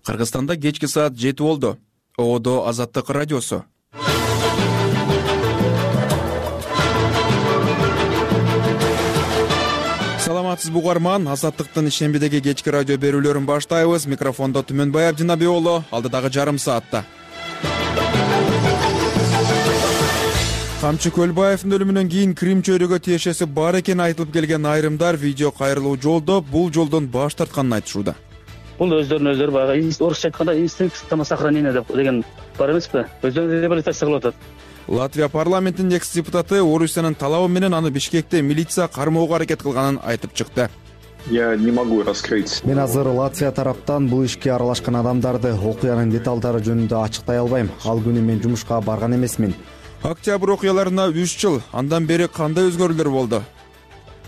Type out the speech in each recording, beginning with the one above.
Кыргызстанда кечки саат 7 болду. ООД Азаттык радиосу. Саламатсызбы угарман, Азаттыктын ишембидеги кечки радио берүүлөрүн баштайбыз. Микрофондо Түмөнбай Абдинаби уулу, алдыдагы жарым саатта. Камчы Көлбаевдин өлүмүнөн кийин Крим чөйрөгө тиешеси бар экени айтылып келген айрымдар видео кайрылуу жолдо бул жолдон баш тартканын айтышууда. Бул өздөрүнүн өзлөрү баягы орусча айтканда инстинкт самосохранения деген бар эмеспи? Өздөрүн реабилитация кылып атат. Латвия парламентинин экс-депутаты Орусиянын талабы менен аны Бишкекте милиция кармоого аракет кылганын айтып чыкты. Я не могу раскрыть. Мен азыр Латвия тараптан бул ишке аралашкан адамдарды, окуянын деталдары жөнүндө ачыктай албайм. Ал күнү мен жумушка барган эмесмин. Октябрь окуяларына 3 жыл, андан бери кандай өзгөрүүлөр болду?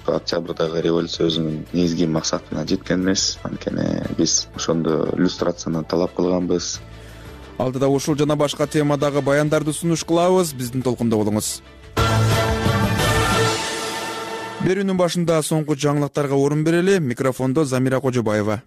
Октябрдагы революция өзүнүн негизги максатына жеткен эмес. Анткени биз ошондо иллюстрацияны талап кылганбыз. Алдыда ушул жана башка темадагы баяндарды сунуш кылабыз. Биздин толкунда болуңуз. Берүүнүн башында соңку жаңылыктарга орун берели. Микрофондо Замира Кожобаева.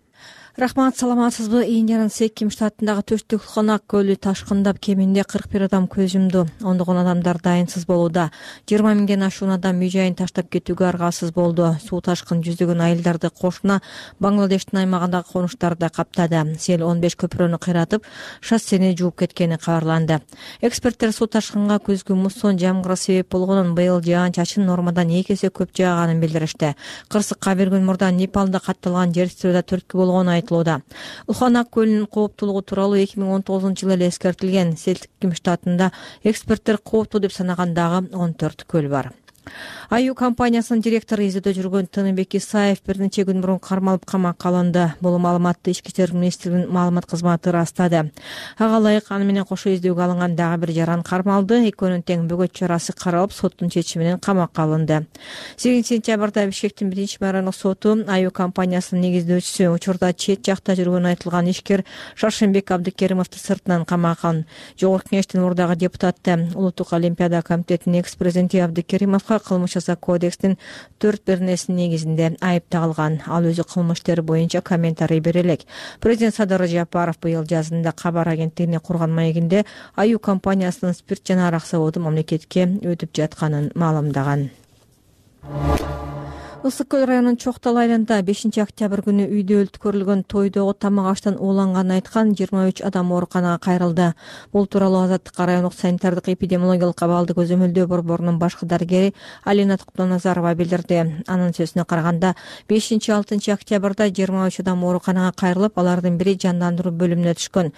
Рахмат, саламатсызбы? Индиянын Секким штатындагы Төштүк Хонак көлү ташкындап кеминде 41 адам көз жумду. Ондогон адамдар дайынсыз болууда. 20 миңден ашуун адам үй жайын таштап кетүүгө аргасыз болду. Суу ташкын жүздөгөн айылдарды кошуна Бангладештин аймагындагы конуштарды каптады. Сел 15 көпүрөнү кыйратып, шоссени жууп кеткени кабарланды. Эксперттер суу ташкынга күзгү муссон жамгыры себеп болгонун, быйыл жаан-чачын нормадан 2 эсе көп жааганын билдиришти. Кырсыкка бир күн мурда Непалда катталган жер титирөөдө түрткү болгону айтылууда. Хонак көлүнүн кооптуулугу тууралуу 2019-жылы эле эскертилген. Секким штатында эксперттер кооптуу деп санагандагы 14 көл бар. Аю компаниясынын директору изилдөө жүргөн Тыныбек Исаев бир нече күн мурун кармалып камакка алынды. Бул маалыматты Ички иштер министрлигинин маалымат кызматы ырастады. Ага ылайык аны менен кошо издөөгө алынган дагы бир жаран кармалды. Экөөнүн тең бөгөт чарасы каралып, соттун чечими менен камакка алынды. 8 сентябрда Бишкектин 1-майрандык соту Аю компаниясынын негиздөөчүсү, учурда чет жакта жүргөнү айтылган ишкер Шаршенбек Абдыкеримовду сыртынан камакка алган. Жогорку кеңештин мурдагы депутаты, Улуттук олимпиада комитетинин экс-президенти Абдыкеримовго кылмыш жаза кодекстин 4 негизинде айып тагылган. Ал өзү кылмыш иштери боюнча комментарий бере элек. Президент Садыр Жапаров быйыл жазында кабар агенттигине курган маегинде Аю компаниясынын спирт жана арак заводу мамлекетке өтүп жатканын маалымдаган. Ысык көл районунун Чоктал айылында 5-октябрь күнү үйдө өлтүрүлгөн тойдогу тамак аштан ууланганын айткан 23 адам ооруканага кайрылды. Бул тууралуу Азаттыкка райондук санитардык эпидемиологиялык абалды көзөмөлдөө борборунун башкы дарыгери Алина Туктоназарова билдирди. Анын сөзүнө караганда 5-6 октябрда 23 адам ооруканага кайрылып, алардын бири жандандыруу бөлүмүнө түшкөн.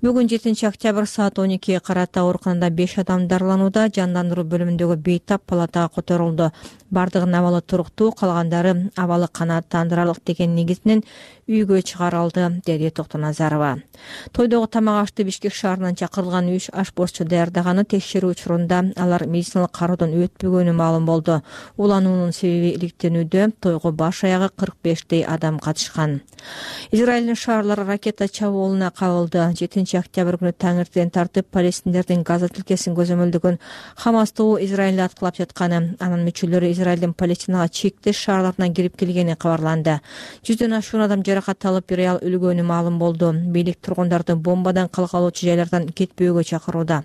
Бүгүн 7 октябрь саат 12 карата ооруканада 5 адам дарыланууда. Жандандыруу бөлүмүндөгү бейтап палатага которулду. Бардыгынын абалы туруктуу, калгандары абалы канааттандырарлык деген негиз менен үйгө чыгарылды, деди Токтоназарова. Тойдогу тамак ашты Бишкек шаарынан чакырылган 3 ашпозчу даярдаганы, текшерүү учурунда алар медициналык кароодон өтпөгөнү маалым болду. Улануунун себеби иликтенүүдө. Тойго баш аягы 45 адам катышкан. Израилдин шаарлары ракета чабуулуна кабылды. 7 октябрь күнү таңертен тартып палестиндердин Газа тилкесин көзөмөлдөгөн Хамастуу Израилди аткылап жатканы, анын мүчөлөрү Израилдин Палестинага чектеш шаарларынан кирип келгени кабарланды. 100дөн ашуун адам жаракат алып, бир аял өлгөнү маалым болду. Бийлик тургундарды бомбадан калкалоочу жайлардан кетпөөгө чакырууда.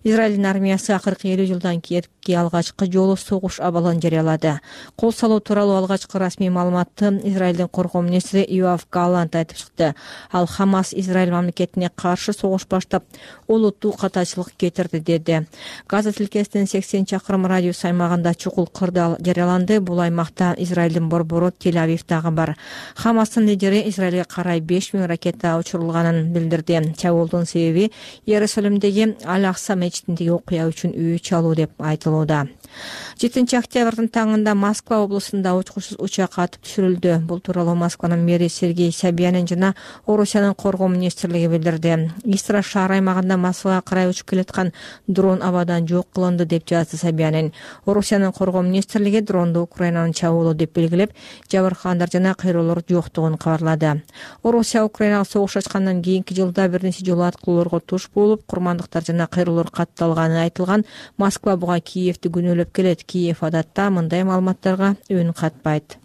Израилдин армиясы акыркы 50 жылдан кийинки алгачкы жолу согуш абалын жарыялады. Кол салуу тууралуу алгачкы расмий маалыматты Израилдин коргоо министри Йоав Галлант айтып чыкты. Ал Хамас Израиль мамлекетине каршы согуш баштап, олуттуу катачылык кетирди, деди. Газа тилкесинин 80 чакырым радиус аймагында чукул кырдаал жарыяланды. Бул аймакта Израилдин борбору Тель-Авив дагы бар. Хамастын лидери Израилге карай 5000 ракета учурулганын билдирди. Чабуулдун себеби Иерусалимдеги Аль-Акса мечитиндеги окуя үчүн үй чалуу деп айтылууда. 7 октябрдын таңында Москва облусунда учкучсуз учак атып түшүрүлдү. Бул тууралуу Москванын мэри Сергей Собянин жана Орусиянын коргоо министрлиги билдирди. Истра шаар аймагында Москвага карай учуп келаткан дрон абадан жок кылынды деп жазды Собянин. Орусиянын коргоо министрлиги дронду Украинанын чабуулу деп белгилеп, жабыркагандар жана кыйроолор жоктугун кабарлады. Орусия Украинага согуш ачкандан кийинки жылда бир нече жолу аткылоолорго туш болуп, курмандыктар жана кыйроолор катталганы айтылган. Москва буга Киевди күнөөлөп келет. Киев адатта мындай маалыматтарга өн катпайт.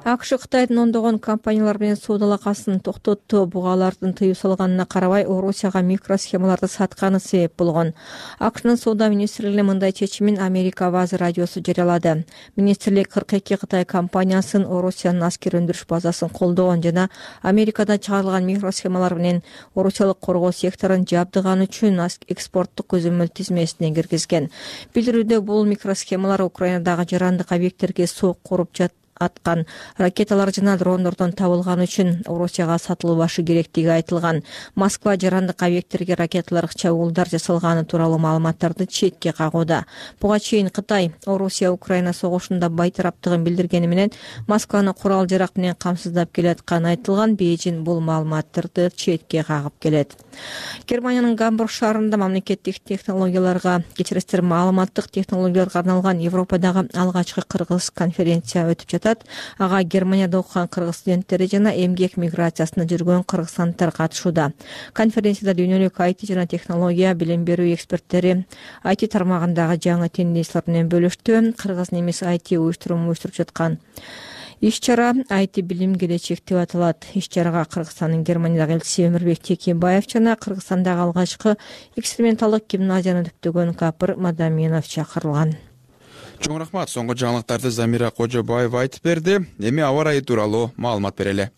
АКШ Кытайдын ондогон компаниялар менен соода алакасын токтотту. Буга алардын тыюу салганына карабай Орусияга микросхемаларды сатканы себеп болгон. АКШнын соода министрлигинин мындай чечимин Америка Аваз радиосу жарыялады. Министрлик 42 Кытай компаниясын Орусиянын аскер өндүрүш базасын колдогон жана Америкада чыгарылган микросхемалар менен орусиялык коргоо секторун жабдыган үчүн экспорттук көзөмөл тизмесине киргизген. Билдирүүдө бул микросхемалар Украинадагы жарандык объекттерге соок куруп аткан ракеталар жана дрондордон табылган үчүн Орусияга сатылбашы керектиги айтылган. Москва жарандык объекттерге ракеталык чабуулдар жасалганы тууралуу маалыматтарды четке кагууда. Буга чейин Кытай Орусия-Украина согушунда байтараптыгын билдиргени менен Москваны курал-жарак менен камсыздап келатканы айтылган. Бейжин бул маалыматтарды четке кагып келет. Германиянын Гамбург шаарында мамлекеттик технологияларга, кечиресиздер, маалыматтык технологияларга арналган Европадагы алгачкы кыргыз конференция өтүп жатат. Ага Германияда окуган кыргыз студенттери жана эмгек миграциясына жүргөн кыргызстандыктар катышууда. Конференцияда дүйнөлүк IT жана технология билим берүү эксперттери IT тармагындагы жаңы тенденциялар менен бөлүштү. Кыргыз немис IT уюштуруму уюштуруп жаткан иш-чара IT билим келечек деп аталат. Иш-чарага Кыргызстандын Германиядагы элчиси Өмүрбек Текебаев жана Кыргызстандагы алгачкы эксперименталдык гимназияны түптөгөн Капыр Мадаминов чакырылган. Чоң рахмат. Соңку жаңылыктарды Замира Кожобаева айтып берди. Эми аба ырайы тууралуу маалымат берели.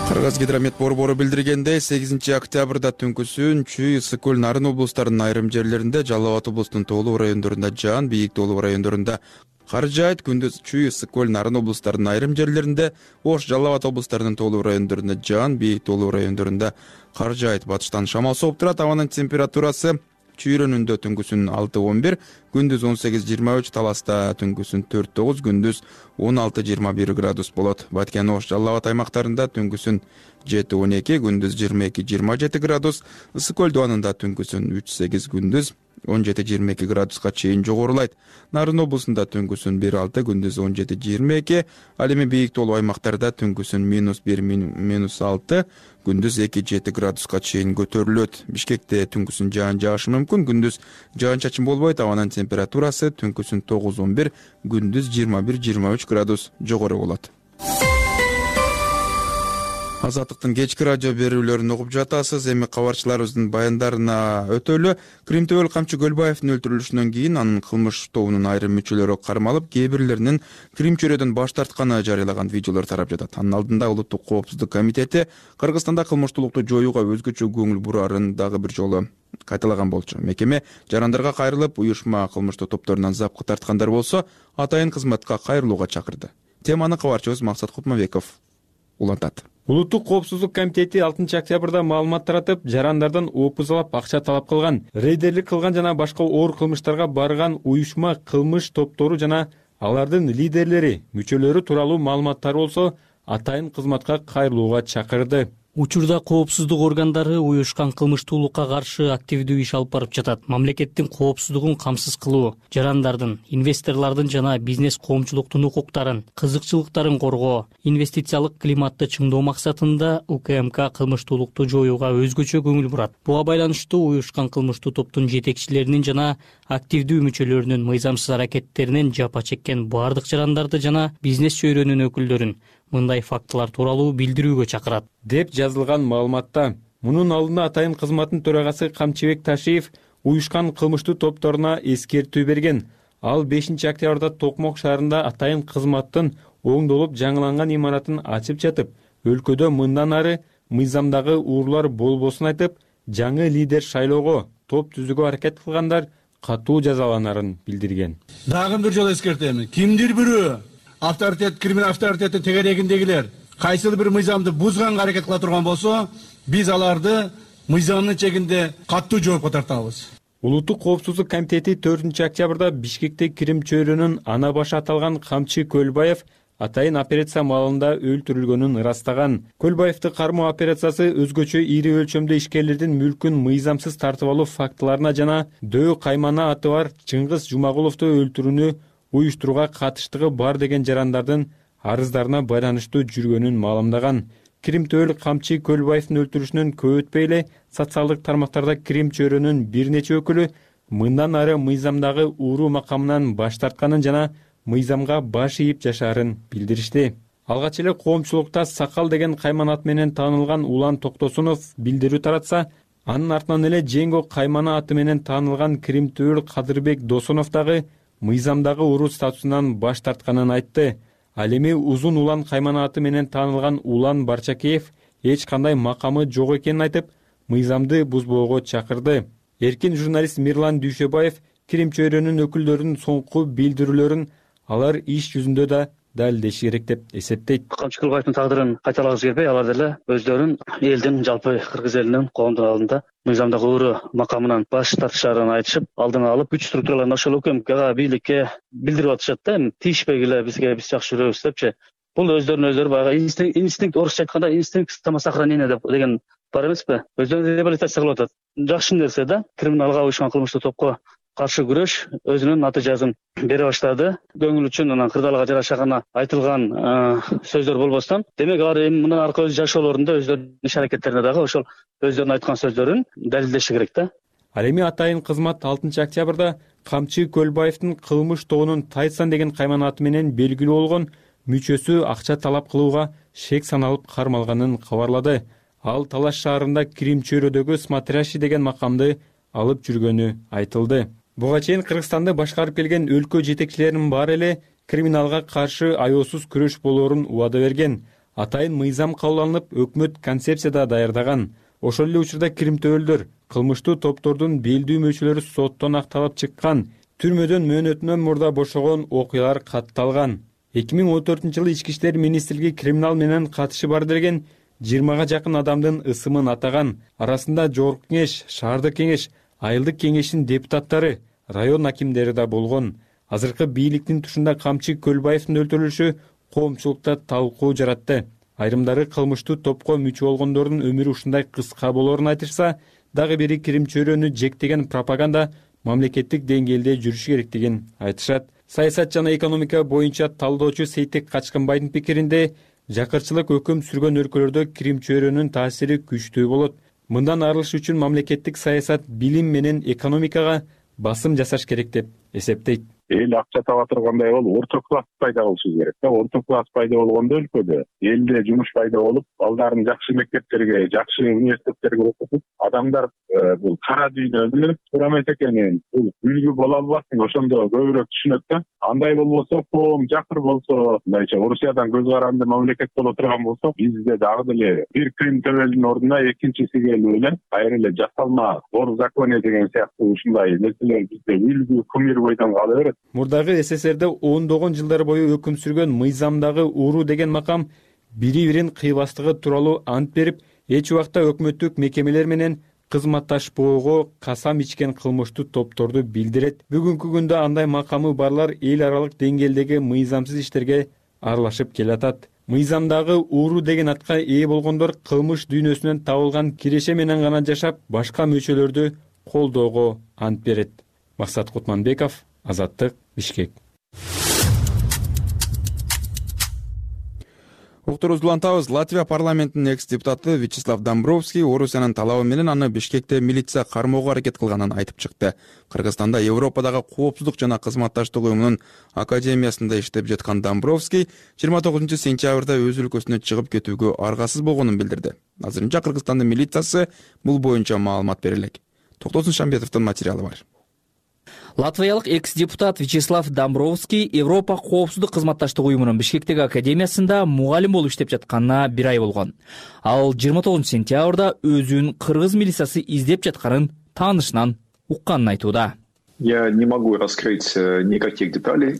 Кыргыз гидромет борбору билдиргендей, 8 октябрда түнкүсүн Чүй, Ысык көл, Нарын облустарынын айрым жерлеринде, Жалал Абад облусунун тоолуу райондорунда жаан, бийик тоолуу райондорунда кар жаайт. Күндүз Чүй, Ысык көл, Нарын облустарынын айрым жерлеринде, Ош, Жалал Абад облустарынын тоолуу райондорунда жаан, бийик тоолуу райондорунда кар жаайт. Батыштан шамал сооп турат. Абанын температурасы Чүйрөнүндө түнкүсүн 6-11, күндүз 18-23, Таласта түнкүсүн 4-9, күндүз 16-21 градус болот. Баткен, Ош, Жалал Абад аймактарында түнкүсүн 7-12, күндүз 22-27 градус, Ысык көл дубанында түнкүсүн 3-8, күндүз 17-22 градуска чейин жогорулайт. Нарын облусунда түнкүсүн 1-6, күндүз 17-22, ал эми бийик тоолуу аймактарда түнкүсүн -1, -6, күндүз 2-7 градуска чейин көтөрүлөт. Бишкекте түнкүсүн жаан жаашы мүмкүн, күндүз жаан чачын болбойт. Абанын температурасы түнкүсүн 9-11, күндүз 21-23 градус жогору болот. Азаттыктын кечки радио берүүлөрүн угуп жатасыз. Эми кабарчыларыбыздын баяндарына өтөлү. Кримтөбөл Камчы Көлбаевдин өлтүрүлүшүнөн кийин анын кылмыш тобунун айрым мүчөлөрү кармалып, кээ бирлеринин крим чөйрөдөн баш тартканы жарыялаган видеолор тарап жатат. Анын алдында Улуттук коопсуздук комитети Кыргызстанда кылмыштуулукту жоюуга өзгөчө көңүл бурарын дагы бир жолу кайталаган болчу. Мекеме жарандарга кайрылып, уюшма кылмыштуу топторунан запкы тарткандар болсо, атайын кызматка кайрылууга чакырды. Теманы кабарчыбыз Максат Кутмабеков улантат. Улуттук коопсуздук комитети 6 октябрда маалымат таратып, жарандардан опузалап акча талап кылган, рейдерлик кылган жана башка оор кылмыштарга барган уюшма кылмыш топтору жана алардын лидерлери, мүчөлөрү тууралуу маалыматтар болсо, атайын кызматка кайрылууга чакырды. Учурда коопсуздук органдары уюшкан кылмыштуулукка каршы активдүү иш алып барып жатат. Мамлекеттин коопсуздугун камсыз кылуу, жарандардын, инвесторлордун жана бизнес коомчулуктун укуктарын, кызыкчылыктарын коргоо, инвестициялык климатты чыңдоо максатында УКМК кылмыштуулукту жоюуга өзгөчө көңүл бурат. Буга байланыштуу уюшкан кылмыштуу топтун жетекчилеринин жана активдүү мүчөлөрүнүн мыйзамсыз аракеттеринен жапа чеккен баардык жарандарды жана бизнес чөйрөнүн өкүлдөрүн мындай фактылар тууралуу билдирүүгө чакырат, деп жазылган маалыматта. Мунун алдында атайын кызматтын төрагасы Камчыбек Ташиев уюшкан кылмыштуу топторуна эскертүү берген. Ал 5 октябрда Токмок шаарында атайын кызматтын оңдолуп жаңыланган имаратын ачып жатып, өлкөдө мындан ары мыйзамдагы уурулар болбосун айтып, жаңы лидер шайлоого топ түзүүгө аракет кылгандар катуу жазаланарын билдирген. Дагы бир жолу эскертем. Кимдир бирөө авторитет, криминал авторитеттин тегерегиндегилер кайсыл бир мыйзамды бузганга аракет кыла турган болсо, биз аларды мыйзамдын чегинде катуу жоопко тартабыз. Улуттук коопсуздук комитети 4 октябрда Бишкекте Крим чөйрөнүн ана башы аталган Камчы Көлбаев атайын операция маалында өлтүрүлгөнүн ырастаган. Көлбаевди кармоо операциясы өзгөчө ири өлчөмдө ишкерлердин мүлкүн мыйзамсыз тартып алуу фактыларына жана Дөө Каймана аты бар Чыңгыз Жумагуловду өлтүрүүнү уюштурууга катыштыгы бар деген жарандардын арыздарына байланыштуу жүргөнүн маалымдаган. Кримтөбөл Камчы Көлбаевдин өлтүрүшүнөн көп өтпөй эле социалдык тармактарда Крим чөйрөнүн бир нече өкүлү мындан ары мыйзамдагы ууруу макамынан баш тартканын жана мыйзамга баш ийип жашаарын билдиришти. Алгач эле коомчулукта Сакал деген кайман ат менен таанылган Улан Токтосунов билдирүү таратса, анын артынан эле Жеңго каймана аты менен таанылган Киримтөөл Кадырбек Досонов дагы мыйзамдагы урут статусунан баш тартканын айтты. Ал эми узун улан каймана аты менен таанылган Улан Барчакеев эч кандай макамы жок экенин айтып, мыйзамды бузбоого чакырды. Эркин журналист Мирлан Дүйшөбаев Кирим чөйрөнүн өкүлдөрүнүн соңку билдирүүлөрүн алар иш жүзүндө да далилдеши керек деп эсептейт. Камчы Көлбаевдин тагдырын кайталагыбыз келбей, алар деле өздөрүн элдин, жалпы кыргыз элинин, коомдун алдында мыйзамдагы уру макамынан баш тартышарын айтышып, алдын алып күч структураларын ошол УКМКга, бийликке билдирип атышат да. Эми тийишпегиле бизге, биз жакшы жүрөбүз депчи. Бул өздөрүн баягы инстинкт, орусча айтканда инстинкт самосохранения деген бар эмеспи? Өздөрүн реабилитация кылып атат. Жакшы нерсе да. Криминалга уюшкан кылмыштуу топко каршы күрөш өзүнүн натыйжасын бере баштады. Көңүл үчүн анан кырдаалга жараша гана айтылган сөздөр болбостон, демек алар эми мындан аркы өз жашоолорунда, өздөрүнүн иш аракеттеринде дагы ошол өздөрүнүн айткан сөздөрүн далилдеши керек да. Ал эми атайын кызмат 6 октябрда Камчы Көлбаевдин кылмыш тобунун Тайсан деген кайман аты менен белгилүү болгон мүчөсү акча талап кылууга шек саналып кармалганын кабарлады. Ал Талаш шаарында Кирим чөйрөдөгү смотрящий деген макамды алып жүргөнү айтылды. Буга чейин Кыргызстанды башкарып келген өлкө жетекчилеринин баары эле криминалга каршы аяосуз күрөш болоорун убада берген. Атайын мыйзам кабыл алынып, өкмөт концепцияда даярдаган. Ошол эле учурда киримтөөлдөр, кылмыштуу топтордун белдүү мүчөлөрү соттон акталып чыккан, түрмөдөн мөөнөтүнөн мурда бошогон окуялар катталган. 2014-жылы Ички иштер министрлиги криминал менен катышы бар деген 20га жакын адамдын ысымын атаган. Арасында Жогорку кеңеш, шаардык кеңеш, айылдык кеңештин депутаттары, район акимдери да болгон. Азыркы бийликтин тушунда Камчы Көлбаевдин өлтүрүлүшү коомчулукта талкуу жаратты. Айрымдары кылмыштуу топко мүчө болгондордун өмүрү ушундай кыска болоорун айтышса, дагы бири Кирим чөйрөнү жектеген пропаганда мамлекеттик деңгээлде жүрүшү керектигин айтышат. Саясат жана экономика боюнча талдоочу Сейтек Качкынбайдын пикиринде, жакырчылык өкүм сүргөн өлкөлөрдө Кирим чөйрөнүн таасири күчтүү болот. Мындан арылыш үчүн мамлекеттик саясат, билим менен экономикага басым жасаш керек деп эсептейт. Эл акча таба тургандай болуп, орто класс пайда болушу керек да. Орто класс пайда болгондо өлкөдө элде жумуш пайда болуп, балдарын жакшы мектептерге, жакшы университеттерге окутуп, адамдар бул кара дүйнө менен туура эмес экенин, бул үлгү боло албасын, ошондо көбүрөөк түшүнөт да. Андай болбосо, коом жакыр болсо, мындайча Орусиядан көз каранды мамлекет боло турган болсо, бизде дагы деле бир кримтөөлдүн ордуна экинчиси келип эле, кайра эле жасалма, беззаконие деген сыяктуу ушундай нерселер бизде үлгү, кумир бойдон кала берет. Мурдагы СССРде ондогон жылдар бою өкүм сүргөн мыйзамдагы уруу деген макам бири-бирин кыйбастыгы тууралуу ант берип, эч убакта өкмөттүк мекемелер менен кызматташпоого касам ичкен кылмыштуу топторду билдирет. Бүгүнкү күндө андай макамы барлар эл аралык деңгээлдеги мыйзамсыз иштерге аралашып келатат. Мыйзамдагы уруу деген атка ээ болгондор кылмыш дүйнөсүнөн табылган киреше менен гана жашап, башка мүчөлөрдү колдоого ант берет. Максат Кутманбеков, Азаттык, Бишкек. Уктурубузду улантабыз. Латвия парламентинин экс-депутаты Вячеслав Домбровский Орусиянын талабы менен аны Бишкекте милиция кармоого аракет кылганын айтып чыкты. Кыргызстанда Европадагы коопсуздук жана кызматташтык уюмунун академиясында иштеп жаткан Домбровский 29-сентябрда өз өлкөсүнө чыгып кетүүгө аргасыз болгонун билдирди. Азырынча Кыргызстандын милициясы бул боюнча маалымат бере элек. Токтосун Шамбетовдун материалы бар. Латвиялык экс-депутат Вячеслав Домбровский Европа коопсуздук кызматташтык уюмунун Бишкектеги академиясында мугалим болуп иштеп жатканына 1 ай болгон. Ал 29-сентябрда өзүн кыргыз милициясы издеп жатканын таанышынан укканын айтууда. Я не могу раскрыть никаких деталей.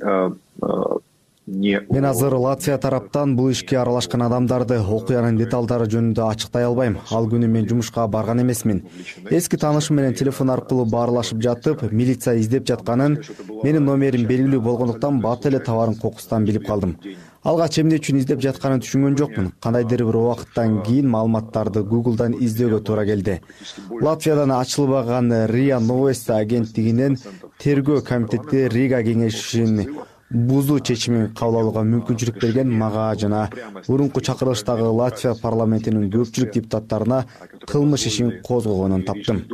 Мен азыр Латвия тараптан бул ишке аралашкан адамдарды, окуянын деталдары жөнүндө ачыктай албайм. Ал күнү мен жумушка барган эмесмин. Эски таанышым менен телефон аркылуу баарлашып жатып, милиция издеп жатканын, менин номерим белгилүү болгондуктан бат эле товарын кокустан билип калдым. Алгач эмне үчүн издеп жатканын түшүнгөн жокмун. Кандайдыр бир убакыттан кийин маалыматтарды Google'дан издөөгө туура келди. Латвиядан ачылбаган РИА Новости агенттигинин тергөө комитети Рига кеңешин бузуу чечимин кабыл алууга мүмкүнчүлүк берген мага жана мурунку чакырылыштагы Латвия парламентинин көпчүлүк депутаттарына кылмыш ишин козгогонун таптым.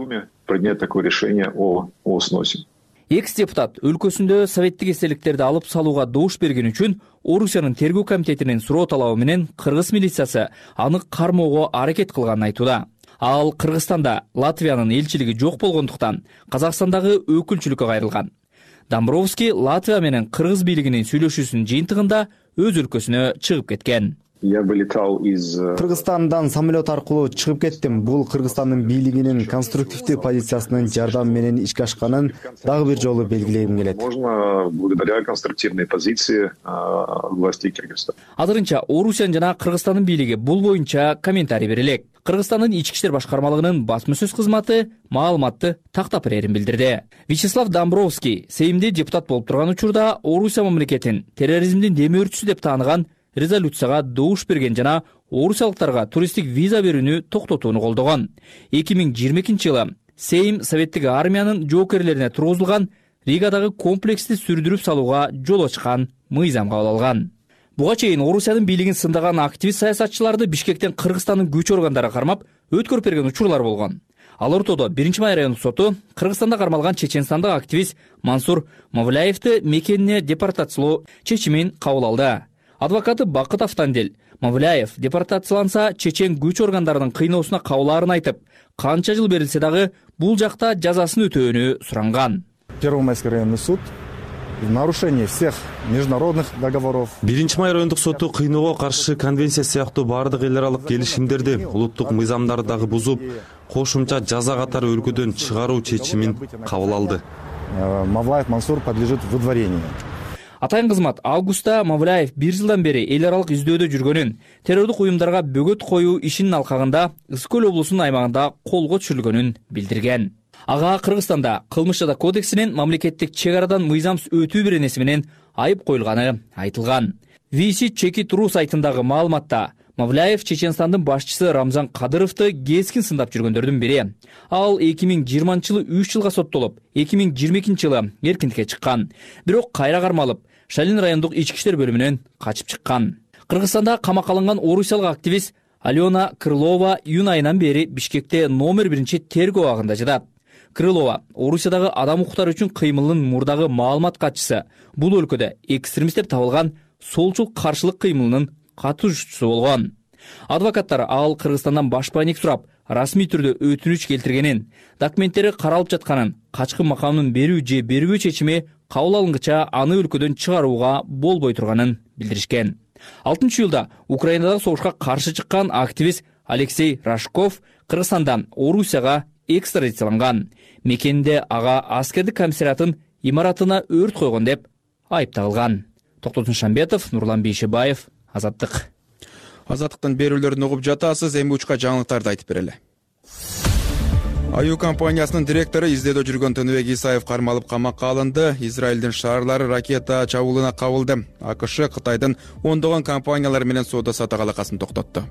Принять такое решение о сносе. Экс депутат өлкөсүндө советтик эстеликтерди алып салууга добуш берген үчүн Орусиянын тергөө комитетинин суроо талабы менен кыргыз милициясы аны кармоого аракет кылганын айтууда. Ал Кыргызстанда Латвиянын элчилиги жок болгондуктан Казакстандагы өкүлчүлүккө кайрылган. Домбровский Латвия менен кыргыз бийлигинин сүйлөшүүсүнүн жыйынтыгында өз өлкөсүнө чыгып кеткен. Я вылетал из... Кыргызстандан самолет аркылуу чыгып кеттим. Бул Кыргызстандын бийлигинин конструктивдүү позициясынын жардамы менен ишке ашканын дагы бир жолу белгилегим келет. Возможно, благодаря конструктивной позиции властей Кыргызстана. Азырынча Орусиянын жана Кыргызстандын бийлиги бул боюнча комментарий бере элек. Кыргызстандын ички иштер башкармалыгынын басма сөз кызматы маалыматты тактап берерин билдирди. Вячеслав Домбровский Сеймде депутат болуп турган учурда Орусия мамлекетин терроризмдин демөөрчүсү деп тааныган резолюцияга добуш берген жана орусиялыктарга туристтик виза берүүнү токтотууну колдогон. 2022-жылы Сейм советтик армиянын жоокерлерине тургузулган Ригадагы комплексти сүрдүрүп салууга жол ачкан мыйзам кабыл алган. Буга чейин Орусиянын бийлигин сындаган активист саясатчыларды Бишкектен Кыргызстандын күч органдары кармап өткөрүп берген учурлар болгон. Ал ортодо 1-Май райондук соту Кыргызстанда кармалган чеченстандык активист Мансур Мавляевди мекенине депортациялоо чечимин кабыл алды. Адвокаты Бакыт Автандел Мавляев депортацияланса чечен күч органдарынын кыйноосуна кабылаарын айтып, канча жыл берилсе дагы бул жакта жазасын өтөөнү суранган. Первомайский районный суд в нарушение всех международных договоров. 1-Май райондук соту кыйноого каршы конвенция сыяктуу баардык эл аралык келишимдерди улуттук мыйзамдарды дагы бузуп, кошумча жаза катары өлкөдөн чыгаруу чечимин кабыл алды. Мавлаев Мансур подлежит выдворению. Атайын кызмат августта Мавляев 1 жылдан бери эл аралык издөөдө жүргөнүн, террордук уюмдарга бөгөт коюу ишинин алкагында Ысык-Көл облусунун аймагында колго түшүрүлгөнүн билдирген. Ага Кыргызстанда кылмыш жаза кодексинин мамлекеттик чек арадан мыйзамсыз өтүү беренеси менен айып коюлганы айтылган. VC Чеки Туру сайтындагы маалыматта Мавляев Чеченстандын башчысы Рамзан Кадыровду кескин сындап жүргөндөрдүн бири. Ал 2020-жылы 3 жылга соттолуп, 2022-жылы эркиндикке чыккан. Бирок кайра кармалып, Шалин райондук ички иштер бөлүмүнөн качып чыккан. Кыргызстанда камакка алынган орусиялык активист Алена Крылова июнь айынан бери Бишкекте номер 1 тергөө абагында жатат. Крылова Орусиядагы адам укуктары үчүн кыймылынын мурдагы маалымат катчысы. Бул өлкөдө экстремист деп табылган солчул каршылык кыймылынын катышуучусу болгон. Адвокаттар ал Кыргызстандан башпайник сурап, расмий түрдө өтүнүч келтиргенин, документтери каралып жатканын, качкын макамынын берүү же бербөө чечими кабыл алынгыча аны өлкөдөн чыгарууга болбой турганын билдиришкен. 6-жылда Украинадагы согушка каршы чыккан активист Алексей Рашков Кыргызстандан Орусияга экстрадицияланган. Мекенинде ага аскердик комиссариятын имаратына өрт койгон деп айыпталган. Токтотун Шамбетов, Нурлан Бейшебаев, Азаттык. Азаттыктын берүүлөрүн угуп жатасыз, эми учка жаңылыктарды айтып берели. Аю компаниясынын директору издөөдө жүргөн Тыныбек Исаев кармалып камакка алынды. Израилдин шаарлары ракета чабуулуна кабылды. АКШ Кытайдын ондогон компаниялар менен соода саттык алакасын токтотту.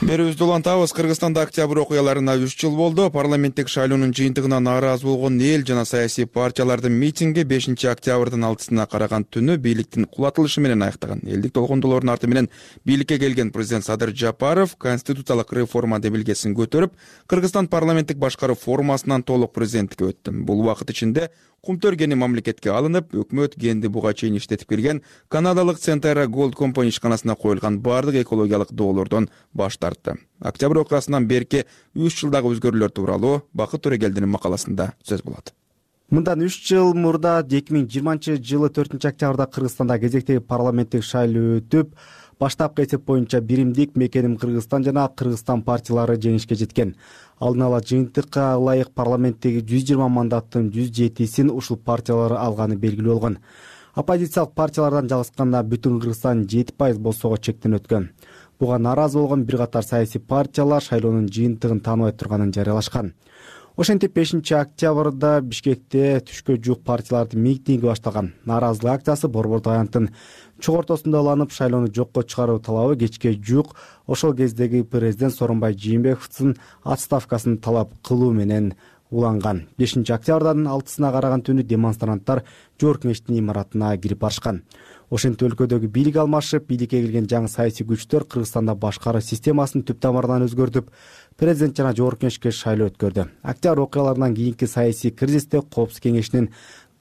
Берүүбүздү улантабыз. Кыргызстанда октябрь окуяларына 3 жыл болду. Парламенттик шайлоонун жыйынтыгына нааразы болгон эл жана саясий партиялардын митинги 5 октябрдын 6-сына караган түнү бийликтин кулатылышы менен аяктаган. Элдик толкундоолордун арты менен бийликке келген президент Садыр Жапаров конституциялык реформа демилгесин көтөрүп, Кыргызстан парламенттик башкаруу формасынан толук президенттикке өттү. Бул убакыт ичинде кумтөр гени мамлекетке алынып, өкмөт генди буга чейин иштетип келген канадалык Centerra Gold Company ишканасына коюлган бардык экологиялык доолордон баш тартты. Октябрь окуясынан берки 3 жылдагы өзгөрүүлөр тууралуу Бакыт Төрегелдинин макаласында сөз болот. Мындан 3 жыл мурда 2020-жылы 4 октябрда Кыргызстанда кезектеги парламенттик шайлоо өтүп, баштапкы эсеп боюнча биримдик Мекеним Кыргызстан жана Кыргызстан партиялары жеңишке жеткен. Алдын ала жыйынтыкка ылайык парламенттеги 120 мандаттын 107син ушул партиялар алганы белгилүү болгон. Оппозициялык партиялардан жалгызганда бүтүн Кыргызстан 7% болсого чектен өткөн. Буга нааразы болгон бир катар саясий партиялар шайлоонун жыйынтыгын тааныбай турганын жарыялашкан. Ошентип 5 октябрда Бишкекте түшкө жуук партиялардын митинги башталган. Нааразылык акциясы Борбордук аянттын чогортосунда уланып, шайлоону жокко чыгаруу талабы кечке жуук ошол кездеги президент Сооронбай Жээнбековдун отставкасын талап кылуу менен уланган. 5-октябрдын 6-сына караган түнү демонстранттар жогорку кеңештин имаратына кирип барышкан. Ошентип өлкөдөгү бийлик алмашып, бийликке келген жаңы саясий күчтөр Кыргызстанда башкаруу системасын түп тамырынан өзгөртүп, президент жана жогорку кеңешке шайлоо өткөрдү. Октябрь окуяларынан кийинки саясий кризисте Коопсуздук кеңешинин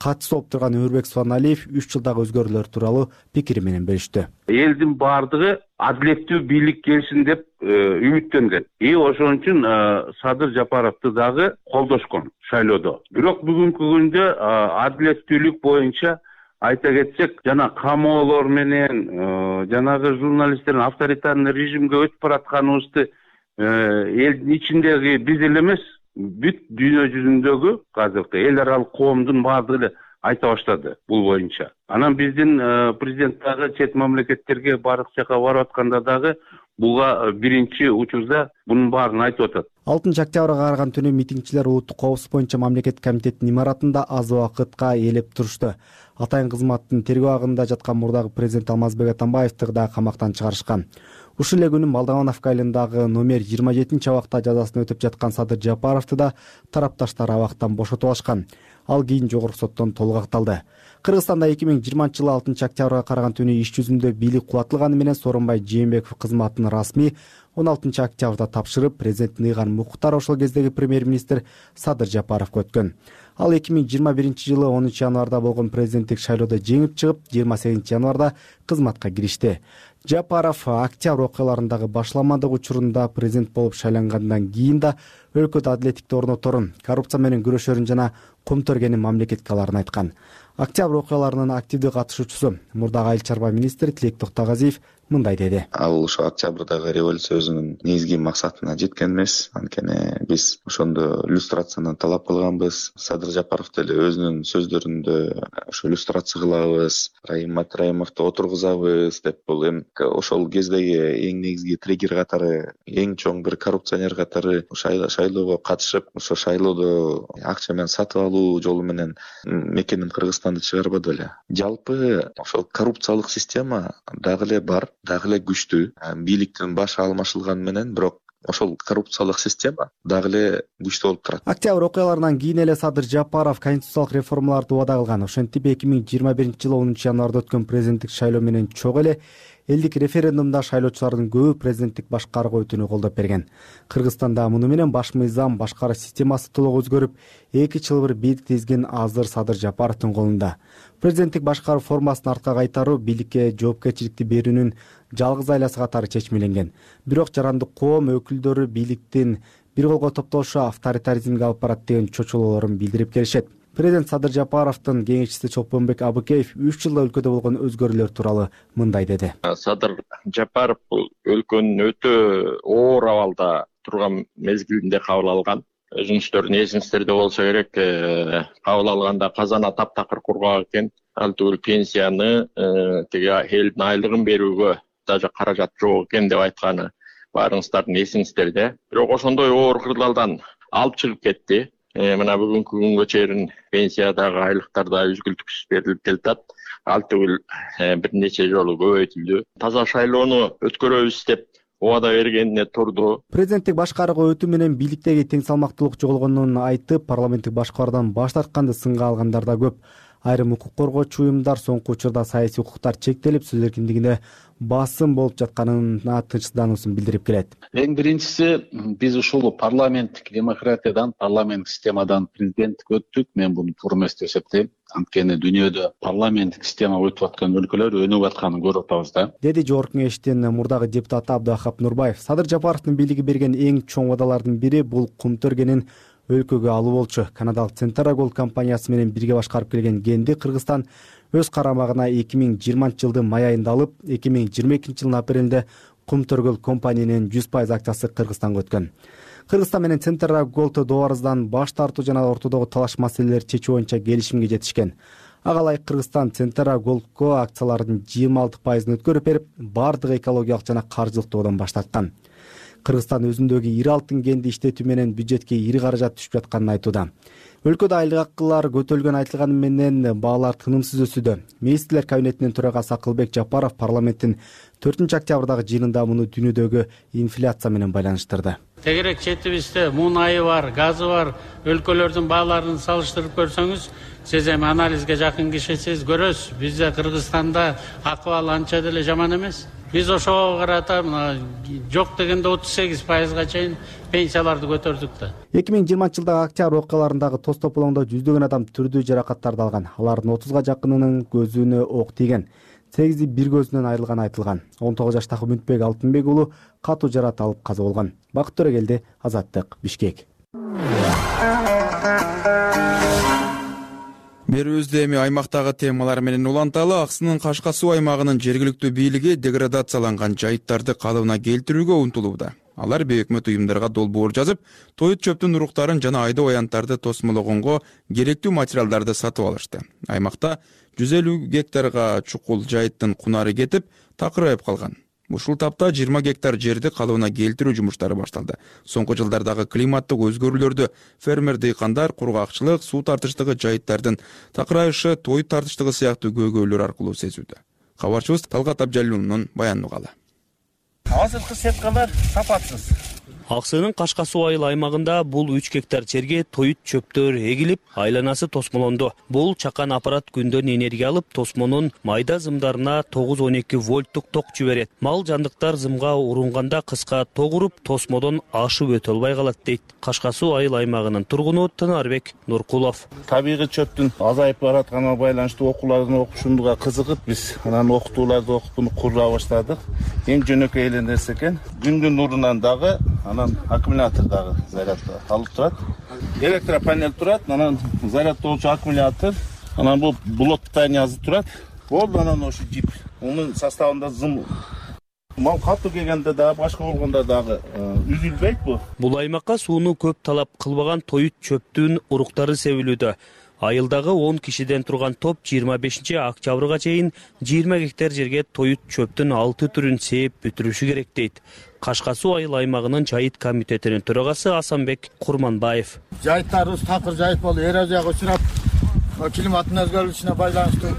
катчысы болуп турган Өмүрбек Субаналиев 3 жылдагы өзгөрүүлөр тууралуу пикири менен бөлүштү. Элдин баардыгы адилеттүү бийлик келсин деп үмүттөнгөн. Ошон үчүн Садыр Жапаровду дагы колдошкон шайлоодо. Бирок бүгүнкү күндө адилеттүүлүк боюнча айта кетсек, жана камоолор менен жанагы журналисттердин авторитарный режимге өтүп баратканыбызды элдин ичиндеги биз эле эмес, бүт дүйнө жүзүндөгү азыркы эл аралык коомдун баардыгы эле айта баштады бул боюнча. Анан биздин президент дагы чет мамлекеттерге бардык жака барып атканда дагы буга биринчи учурда бунун баарын айтып атат. 6-октябрга караган түнү митингчилер улуттук коопсуздук боюнча мамлекеттик комитеттин имаратында аз убакытка ээлеп турушту. Атайын кызматтын тергөө агында жаткан мурдагы президент Алмазбек Атамбаевди да камактан чыгарышкан. Ушул эле күнү Молдовановка айылындагы номер 27-абакта жазасын өтөп жаткан Садыр Жапаровду да тарапташтар абактан бошотуп алышкан. Ал кийин жогорку соттон толук акталды. Кыргызстанда 2020-жылы 6-октябрга караган түнү иш жүзүндө бийлик кулатылганы менен Сооронбай Жээнбеков кызматын расмий 16-октябрда тапшырып, президент Ыйган Муктар ошол кездеги премьер-министр Садыр Жапаровго өткөн. Ал 2021-жылы 10 январда болгон президенттик шайлоодо жеңип чыгып, 28 январда кызматка киришти. Жапаров октябрь окуяларындагы башламандык учурунда президент болуп шайлангандан кийин да өлкөдө адилеттикти орноторун, коррупция менен күрөшөрүн жана көмтөргенин мамлекетке аларын айткан. Октябрь окуяларынын активдүү катышуучусу мурдагы айыл чарба министри Тилек Токтогазиев мындай деди. Ал ошо октябрдагы революциянын негизги максатына жеткен эмес. Анткени биз ошондо люстрацияны талап кылганбыз. Садыр Жапаров деле өзүнүн сөздөрүндө ошо люстрация кылабыз, Райым Матраимовду отургузабыз деп, бул эми ошол кездеги эң негизги триггер катары, эң чоң бир коррупционер катары шайлоого катышып, ошо шайлоодо акча менен сатып алуу жолу менен мекенин Кыргызстанды чыгарбады эле. Жалпы ошол коррупциялык система дагы эле бар, дагы эле күчтүү. Бийликтин башы алмашылганы менен, бирок ошол коррупциялык система дагы эле күчтүү болуп турат. Октябрь окуяларынан кийин эле Садыр Жапаров конституциялык реформаларды убада кылган. Ошентип 2021-жылы 10 январда өткөн президенттик шайлоо менен чогуу эле элдик референдумда шайлоочулардын көбү президенттик башкарууга өтүүнү колдоп берген. Кыргызстанда муну менен баш мыйзам, башкаруу системасы толук өзгөрүп, 2 чылбыр бийлик тизгин азыр Садыр Жапаровдун колунда. Президенттик башкаруу формасын артка кайтаруу бийликке жоопкерчиликти берүүнүн жалгыз айласы катары чечмеленген. Бирок жарандык коом өкүлдөрү бийликтин бир колго топтошу авторитаризмге алып барат деген чочулоолорун билдирип келишет. Президент Садыр Жапаровдун кеңешчиси Чолпонбек Абыкеев 3 жылда өлкөдө болгон өзгөрүүлөр тууралуу мындай деди. Садыр Жапаров бул өлкөнүн өтө оор абалда турган мезгилинде кабыл алган. Өзүңүздөрдүн эсиңиздерде болсо керек, кабыл алганда казана таптакыр кургак экен. Ал түгүл пенсияны, тиги элдин айлыгын берүүгө даже каражат жок экен деп айтканы баарыңыздардын эсиңиздерде. Бирок ошондой оор кырдаалдан алып чыгып кетти. Мына бүгүнкү күнгө чейин пенсиядагы айлыктар да үзгүлтүксүз берилип келатат. Ал түгүл бир нече жолу көбөйтүлдү. Таза шайлоону өткөрөбүз деп убада бергенине турду. Президенттик башкарууга өтүү менен бийликтеги тең салмактуулук жоголгонун айтып, парламенттик башкаруудан баш тартканды сынга алгандар да көп. Айрым укук коргоочу уюмдар соңку учурда саясий укуктар чектелип, сөз эркиндигине басым болуп жатканына тынчсыздануусун билдирип келет. Эң биринчиси, биз ушул парламенттик демократиядан, парламенттик системадан президенттик өттүк. Мен буну туура эмес деп эсептейм. Анткени дүйнөдө парламенттик система өтүп аткан өлкөлөр өнүгүп атканын көрүп атабыз да. Деди жогорку кеңештин мурдагы депутаты Абдыахап Нурбаев. Садыр Жапаровдун бийлиги берген эң чоң убадалардын бири бул Кумтөргенин өлкөгө алуу болчу. Канадалык Centara Gold компаниясы менен бирге башкарып келген кенди Кыргызстан өз карамагына 2020-жылдын май айында алып, 2022-жылдын апрелинде Кумтөргөл компаниянын 100% акчасы Кыргызстанга өткөн. Кыргызстан менен Centara Gold доороздан баш тартуу жана ортодогу талаш маселелерди чечүү боюнча келишимге жетишкен. Ага ылайык Кыргызстан Centara Goldко акциялардын 26%-ын өткөрүп берип, бардык экологиялык жана каржылык тоодон баш тарткан. Кыргызстан өзүндөгү ири алтын кенди иштетүү менен бюджетке ири каражат түшүп жатканын айтууда. Өлкөдө айлык акылар көтөрүлгөн айтылганы менен баалар тынымсыз өсүүдө. Министрлер кабинетинин төрагасы Акылбек Жапаров парламенттин 4 октябрдагы жыйынында муну дүйнөдөгү инфляция менен байланыштырды. Тегерек четибизде мунайы бар, газы бар өлкөлөрдүн бааларын салыштырып көрсөңүз, сиз эми анализге жакын кишисиз, көрөсүз. Бизде Кыргызстанда акыбал анча деле жаман эмес. Биз ошого карата жок дегенде 38%га чейин пенсияларды көтөрдүк да. 2020-жылдагы октябрь окуяларындагы тос тополоңдо жүздөгөн адам түрдүү жаракаттарды алган. Алардын 30га жакынынын көзүнө ок тийген. 8 бир көзүнөн айрылганы айтылган. 19 жаштагы Үмүтбек Алтынбек уулу катуу жарат алып каза болгон. Бакыт Төрөгелди, Азаттык, Бишкек. Берүүбүздө эми аймактагы темалар менен уланталы. Аксынын Кашка суу аймагынын жергиликтүү бийлиги деградацияланган жайыттарды калыбына келтирүүгө умтулууда. Алар бейөкмөт уюмдарга долбоор жазып, тоют чөптүн уруктарын жана айдоо аянттарды тосмологонго керектүү материалдарды сатып алышты. Аймакта 150 гектарга чукул жайыттын кунары кетип, такырайып калган. Ушул тапта 20 гектар жерди калыбына келтирүү жумуштары башталды. Соңку жылдардагы климаттык өзгөрүүлөрдү фермер дыйкандар кургакчылык, суу тартыштыгы жайыттардын такырайышы, тоют тартыштыгы сыяктуу көйгөйлөр аркылуу сезүүдө. Кабарчыбыз Талгат Абжалилунун баянын угалы. Азыркы сеткалар сапатсыз. Аксынын Кашка суу айыл аймагында бул 3 гектар жерге тоют чөптөр эгилип, айланасы тосмолонду. Бул чакан аппарат күндөн энергия алып, тосмонун майда зымдарына 9-12 вольттук ток жиберет. Мал жандыктар зымга урунганда кыска ток уруп, тосмодон ашып өтө албай калат дейт Кашка суу айыл аймагынын тургуну Тынарбек Нуркулов. Табигый чөптүн азайып баратканына байланыштуу окуулардын окушундуга кызыгып, биз анан окутууларды окуп буну кура баштадык. Эң жөнөкөй эле нерсе экен. Күндүн нурунан дагы анан аккумулятордагы заряд алып турат. Электропанель турат, анан зарядтоочу аккумулятор, анан бул блоктаниясы турат. Болду анан ошо жип. Унун составында зым мал катуу келгенде дагы башка болгондо дагы үзүлбөйт бу. Бул аймакка сууну көп талап кылбаган тоют чөптүн уруктары себилүүдө. Айылдагы 10 кишиден турган топ 25 октябрга чейин 20 гектар жерге тоют чөптүн 6 түрүн сээп бүтүрүшү керек дейт Кашка суу айыл аймагынын жайыт комитетинин төрагасы Асанбек Курманбаев. Жайыттарыбыз такыр жайыт болуп, эрозияга учурап, климаттын өзгөрүшүнө байланыштуу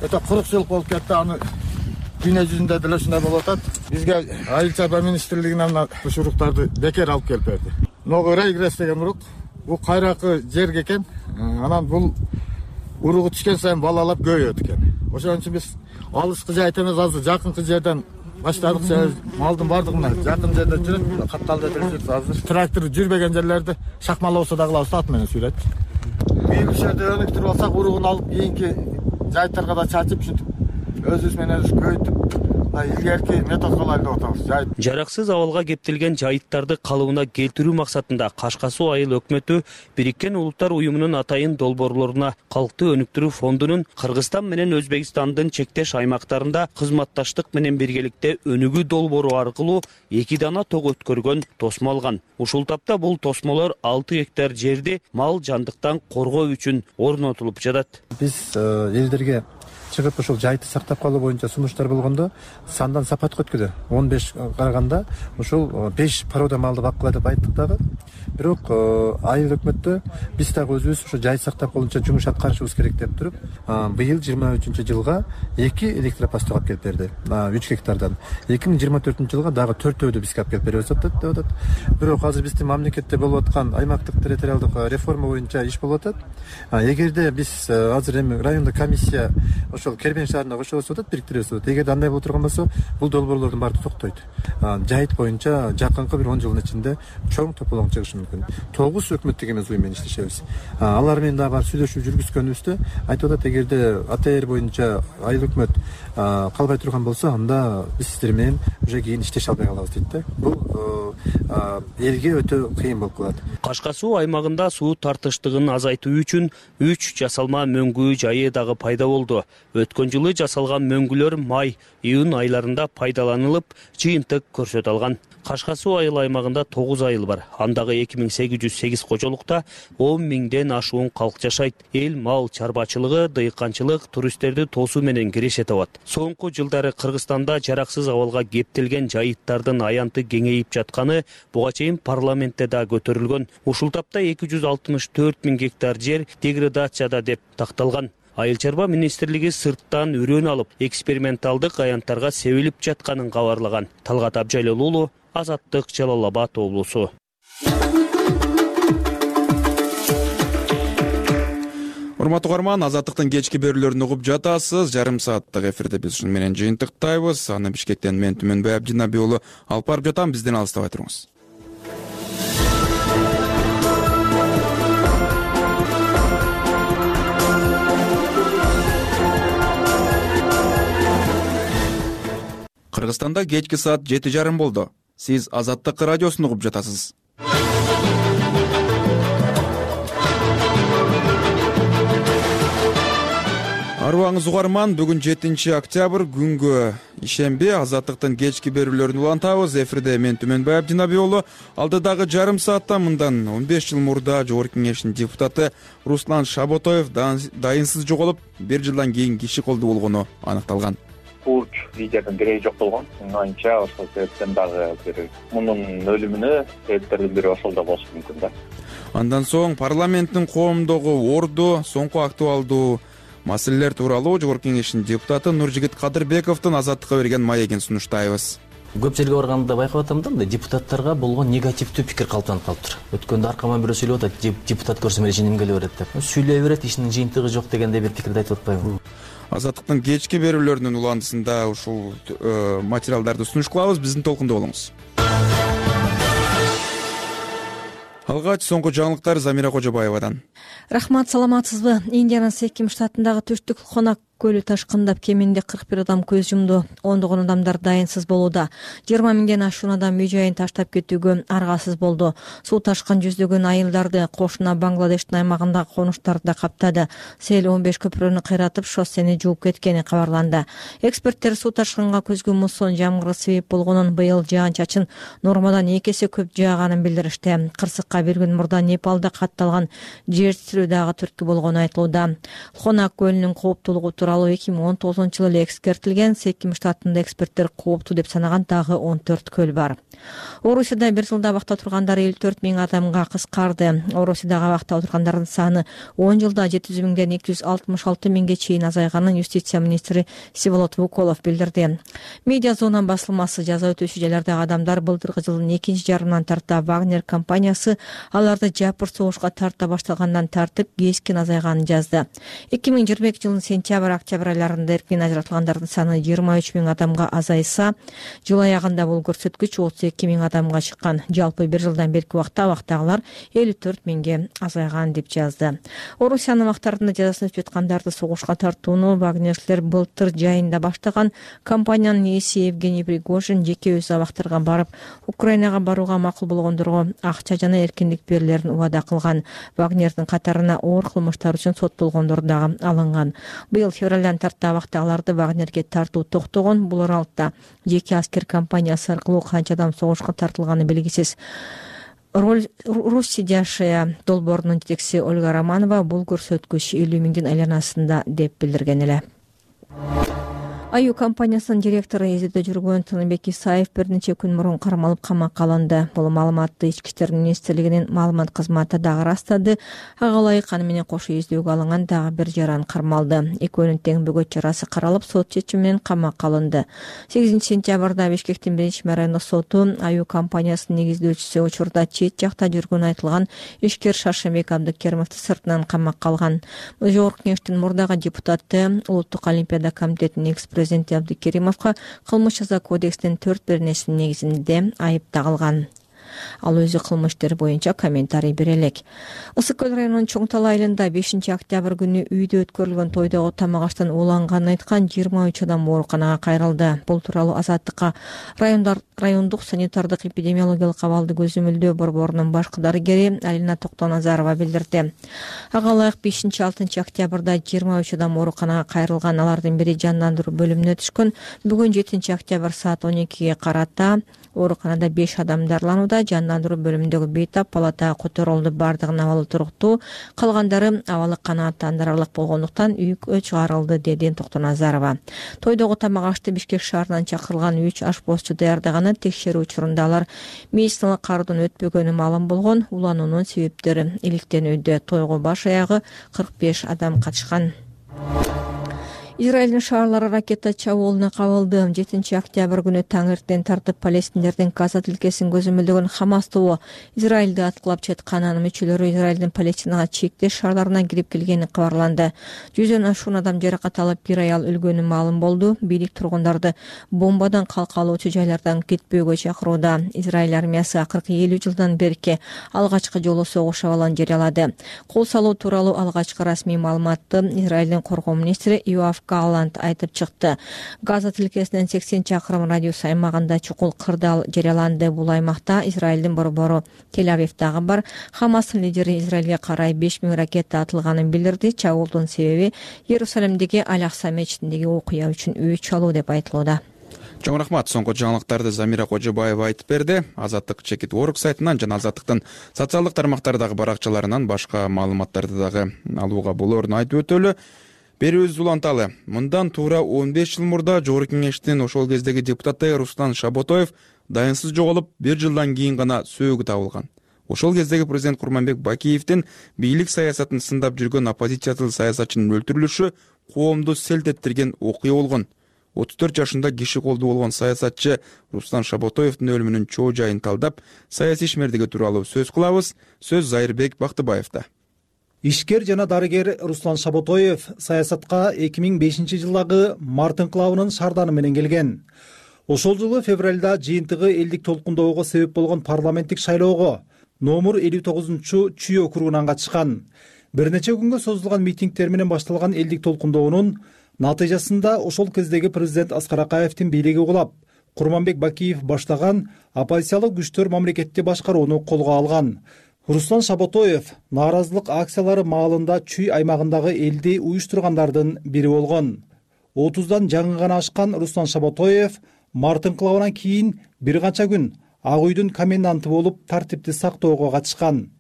өтө курукчулук болуп кетти. Аны дүйнө жүзүндө деле ушундай болуп атат. Бизге Айыл чарба министрлигинен ушу уруктарды бекер алып келип берди. Ногу регресс деген урук. Бул кайракы жерге экен. Анан бул уругу түшкөн сайын балалап көбөйөт экен. Ошон үчүн биз алыскы жайыт эмес, азыр жакынкы жерден баштадык. Малдын бардыгына жакын жерде жүрөт, катталды жүрөт. Азыр трактор жүрбөгөн жерлерди шакмалоосо дагы ат менен сүрөт. Бийлишерди өнүктүрүп алсак, уругун алып кийинки жайыттарга да чачып, өзүбүз менен көбөйтүп илгерки метод кылайлы деп атабыз. Жараксыз абалга кептелген жайыттарды калыбына келтирүү максатында Кашка суу айыл өкмөтү Бириккен Улуттар уюмунун атайын долбоорлоруна Калкты өнүктүрүү фондунун Кыргызстан менен Өзбекстандын чектеш аймактарында кызматташтык менен биргеликте өнүгүү долбоору аркылуу 2 дана ток өткөргөн тосмо алган. Ушул тапта бул тосмолор 6 гектар жерди мал жандыктан коргоо үчүн орнотулуп жатат. Биз элдерге чыгып ушул жайытты сактап калуу боюнча сунуштар болгондо сандан сапатка өткөдү. 15 караганда ушул 5 порода малды баккыла деп айттык дагы. Бирок айыл өкмөттө биз дагы өзүбүз ушу жайыт сактап калуунча жумуш аткарышыбыз керек деп туруп, быйыл 23-жылга 2 электропост алып келип берди. 3 гектардан. 2024-жылга дагы 4-өөдү бизге алып келип берип атат деп атат. Бирок азыр биздин мамлекетте болуп аткан аймактык территориалдык реформа боюнча иш болуп атат. Эгерде биз азыр эми райондук комиссия ошол Кербен шаарына кошулуп атат, бириктирип атат. Эгерде андай боло турган болсо, бул долбоорлордун баары токтойт. Жайыт боюнча жакынкы бир 10 жылдын ичинде чоң тополоң чыгышы мүмкүн. 9 өкмөттүк эмес уюм менен иштешебиз. Алар менен дагы сүйлөшүү жүргүзгөнүбүздө айтып атат, эгерде АТР боюнча айыл өкмөт калбай турган болсо, анда биз сиздер менен уже кийин иштеше албай калабыз дейт да. Бул элге өтө кыйын болуп калат. Кашка суу аймагында суу тартыштыгын азайтуу үчүн 3 жасалма мөңгүү жайы дагы пайда болду. Өткөн жылы жасалган мөңгүлөр май-июнь айларында пайдаланылып, жыйынтык көрсөтө алган. Кашка суу айыл аймагында 9 айыл бар. Андагы 2808 кожолукта 10 миңден ашуун калк жашайт. Эл мал чарбачылыгы, дыйканчылык, туристтерди тосуу менен киреше табат. Соңку жылдары Кыргызстанда жараксыз абалга кептелген жайыттардын аянты кеңейип жатканы буга чейин парламентте да көтөрүлгөн. Ушул тапта 264 миң гектар жер деградацияда деп такталган. Айыл чарба министрлиги сырттан үрөн алып, эксперименталдык аянттарга себилип жатканын кабарлаган. Талгат Абжалил уулу, Азаттык, Жалал Абад облусу. Урматтуу угарман, Азаттыктын кечки берүүлөрүн угуп жатасыз. Жарым сааттык эфирде биз ушуну менен жыйынтыктайбыз. Аны Бишкектен мен Түмөнбай Абдинаби уулу алып барып жатам. Бизден алыстабай туруңуз. Кыргызстанда кечки саат 7:30 болду. Сиз Азаттык радиосун угуп жатасыз. Арыбаңыз угарман, бүгүн 7 октябрь күнгө ишемби. Азаттыктын кечки берүүлөрүн улантабыз. Эфирде мен Түмөнбай Абдинаби уулу. Алдыдагы жарым саатта мындан 15 жыл мурда Жогорку Кеңештин депутаты Руслан Шаботоев дайынсыз жоголуп, 1 жылдан кийин киши колдуу болгону аныкталган. Бурч лидердин кереги жок болгон. Менин оюмча, ошол себептен дагы бир мунун өлүмүнө себептердин бири ошол да болушу мүмкүн да. Андан соң парламенттин коомдогу орду, соңку актуалдуу маселелер тууралуу Жогорку Кеңештин депутаты Нуржигит Кадырбековдун Азаттыкка берген маегин сунуштайбыз. Көп жерге барганда байкап атам да, мындай депутаттарга болгон негативдүү пикир калыптанып калыптыр. Өткөндө аркаман бирөө сүйлөп атат, депутат көрсөм эле жиним келе берет деп. Сүйлөй берет, ишинин жыйынтыгы жок дегендей бир пикирди айтып атпайбы? Азаттыктын кечки берүүлөрүнүн уландысында ушул материалдарды сунуш кылабыз. Биздин толкунда болуңуз. Алгач соңку жаңылыктар Замира Кожобаевадан. Рахмат, саламатсызбы? Индиянын Секим штатындагы түштүк Хонак көлү ташкындап, кеминде 41 адам көз жумду. Ондогон адамдар дайынсыз болууда. 20 миңден ашуун адам үй жайын таштап кетүүгө аргасыз болду. Суу ташкын жүздөгөн айылдарды, кошуна Бангладештин аймагындагы конуштарды каптады. Сел 15 көпүрөнү кыйратып, шоссени жууп кеткени кабарланды. Эксперттер суу ташкынга көзгү мусон жамгыры себеп болгонун, быйыл жаан-чачын нормадан 2 эсе көп жааганын билдиришти. Кырсыкка бир күн мурда Непалда катталган жер титирөө дагы түрткү болгону айтылууда. Хонак көлүнүн кооптуулугу тууралуу 2019 эле эскертилген. Секим штатында эксперттер кооптуу деп санаган дагы 14 көл бар. Орусияда бир жылда абакта тургандар 54 миң адамга кыскарды. Орусиядагы абакта отургандардын саны 10 жылда 700 миңден 266 миңге чейин азайганын юстиция министри Всеволод Вуколов билдирди. Медиа зона басылмасы жаза өтүүчү жайлардагы адамдар былтыркы жылдын 2-жарымынан тарта Вагнер компаниясы аларды жапыр согушка тарта башталгандан тартып кескен азайганын жазды. 2022 жылдын сентябрь-октябрь айларында эркин ажыратылгандардын саны 23 миң адамга азайса, жыл аягында бул көрсөткүч 32 миң адамга чыккан. Жалпы бир жылдан берки убакта абактагылар 54 миңге азайган деп жазды. Орусиянын абактарында жазасын өтүп жаткандарды согушка тартууну Вагнерчилер былтыр жайында баштаган. Компаниянын ээси Евгений Пригожин жеке өз абактарга барып, Украинага барууга макул болгондорго акча жана эркиндик берилерин убада кылган. Вагнердин катарына оор кылмыштар үчүн соттолгондор дагы алынган. Быйыл февралдан тарта абактагыларды Вагнерге тартуу токтогон. Бул аралыкта жеке аскер компаниясы аркылуу канча адам согушка тартылганы белгисиз. Руссия долбоорунун жетекчиси Ольга Романова бул көрсөткүч 50 миңдин айланасында деп билдирген эле. Аю компаниясынын директору эзиде жүргөн Тыныбек Исаев бир нече күн мурун кармалып камакка алынды. Бул маалыматты Ички иштер министрлигинин маалымат кызматы дагы ырастады. Ага ылайык аны менен кошо издөөгө алынган дагы бир жаран кармалды. Экөөнүн тең бөгөт чарасы каралып, сот чечими менен камакка алынды. 8-сентябрда Бишкектин 1-райондук соту Аю компаниясынын негиздөөчүсү учурда чет жакта жүргөнү айтылган ишкер Шаршембек Абдыкеримовду сыртынан камакка алган. Жогорку Кеңештин мурдагы депутаты, Улуттук олимпиада комитетинин экс-президенти Абдыкеримовго кылмыш жаза кодексинин 4-беренесинин негизинде айып тагылган. Ал өзү кылмыш иштери боюнча комментарий бере элек. Ысык көл районунун Чоң Тал айылында 5-октябрь күнү үйдө өткөрүлгөн тойдогу тамак аштан ууланганын айткан 23 адам ооруканага кайрылды. Бул тууралуу Азаттыкка райондук санитардык эпидемиологиялык абалды көзөмөлдөө борборунун баш дарыгери Алина Токтоназарова билдирди. Ага ылайык 5-6 октябрда 23 адам ооруканага кайрылган. Алардын бири жандандыруу бөлүмүнө түшкөн. Бүгүн 7 октябрь саат 12-ге карата ооруканада 5 адам дарыланууда. Жандандыруу бөлүмүндөгү бейтап палатага которулду. Бардыгынын абалы туруктуу, калгандары абалы канааттандырарлык болгондуктан үйгө чыгарылды, деди Токтоназарова. Тойдогу тамак ашты Бишкек шаарынан чакырылган 3 ашпозчу даярдаганы, текшерүү учурунда алар медициналык кароодон өтпөгөнү маалым болгон. Улануунун себептери иликтенүүдө. Тойго баш аягы 45 адам катышкан. Израилдин шаарлары ракета чабуулуна кабылды. 7-октябрь күнү таң эртен тартып Палестиндердин Газа тилкесин көзөмөлдөгөн Хамас тобу Израилди аткылап жаткан. Анын мүчөлөрү Израилдин Палестинага чектеш шаарларына кирип келгени кабарланды. 100дөн ашуун адам жаракат алып, бир аял өлгөнү маалым болду. Бийлик тургундарды бомбадан калкалоочу жайлардан кетпөөгө чакырууда. Израиль армиясы акыркы 50 жылдан берки алгачкы жолу согуш абалын жарыялады. Кол салуу тууралуу алгачкы расмий маалыматты Израилдин коргоо министри Йоав Галланд айтып чыкты. Газа тилкесинен 80 чакырым радиус аймагында чукул кырдаал жарыяланды. Бул аймакта Израилдин борбору Тель-Авив дагы бар. Хамастын лидери Израилге карай 5000 ракета атылганын билдирди. Чабуулдун себеби Иерусалимдеги Аль-Акса мечитиндеги окуя үчүн өч алуу деп айтылууда. Чоң рахмат. Соңку жаңылыктарды Замира Кожобаева айтып берди. Азаттык Чекит.org сайтынан жана Азаттыктын социалдык тармактардагы баракчаларынан башка маалыматтарды дагы алууга болоорун айтып өтөлү. Берүүбүз уланталы. Мындан туура 15 жыл мурда Жогорку Кеңештин ошол кездеги депутаты Руслан Шаботоев дайынсыз жоголуп, 1 жылдан кийин гана сөөгү табылган. Ошол кездеги президент Курманбек Бакиевдин бийлик саясатын сындап жүргөн оппозициячыл саясатчынын өлтүрүлүшү коомду селт эттирген окуя болгон. 34 жашында киши колду болгон саясатчы Руслан Шаботоевдин өлүмүнүн чоо жайын талдап, саясий ишмердиги тууралуу сөз кылабыз. Сөз Зайырбек Бактыбаевда. Ишкер жана дарыгер Руслан Шаботоев саясатка 2005 жылдагы март инкылабынын шарданы менен келген. Ошол жылы февралда жыйынтыгы элдик толкундоого себеп болгон парламенттик шайлоого номер 59 Чүй округунан катышкан. Бир нече күнгө созулган митингдер менен башталган элдик толкундоонун натыйжасында ошол кездеги президент Аскар Акаевдин бийлиги кулап, Курманбек Бакиев баштаган оппозициялык күчтөр мамлекетти башкарууну колго алган. Руслан Шаботоев нааразылык акциялары маалында Чүй аймагындагы элди уюштургандардын бири болгон. 30дан жаңы гана ашкан Руслан Шаботоев март инкылабынан кийин бир канча күн Ак үйдүн коменданты болуп тартипти сактоого катышкан.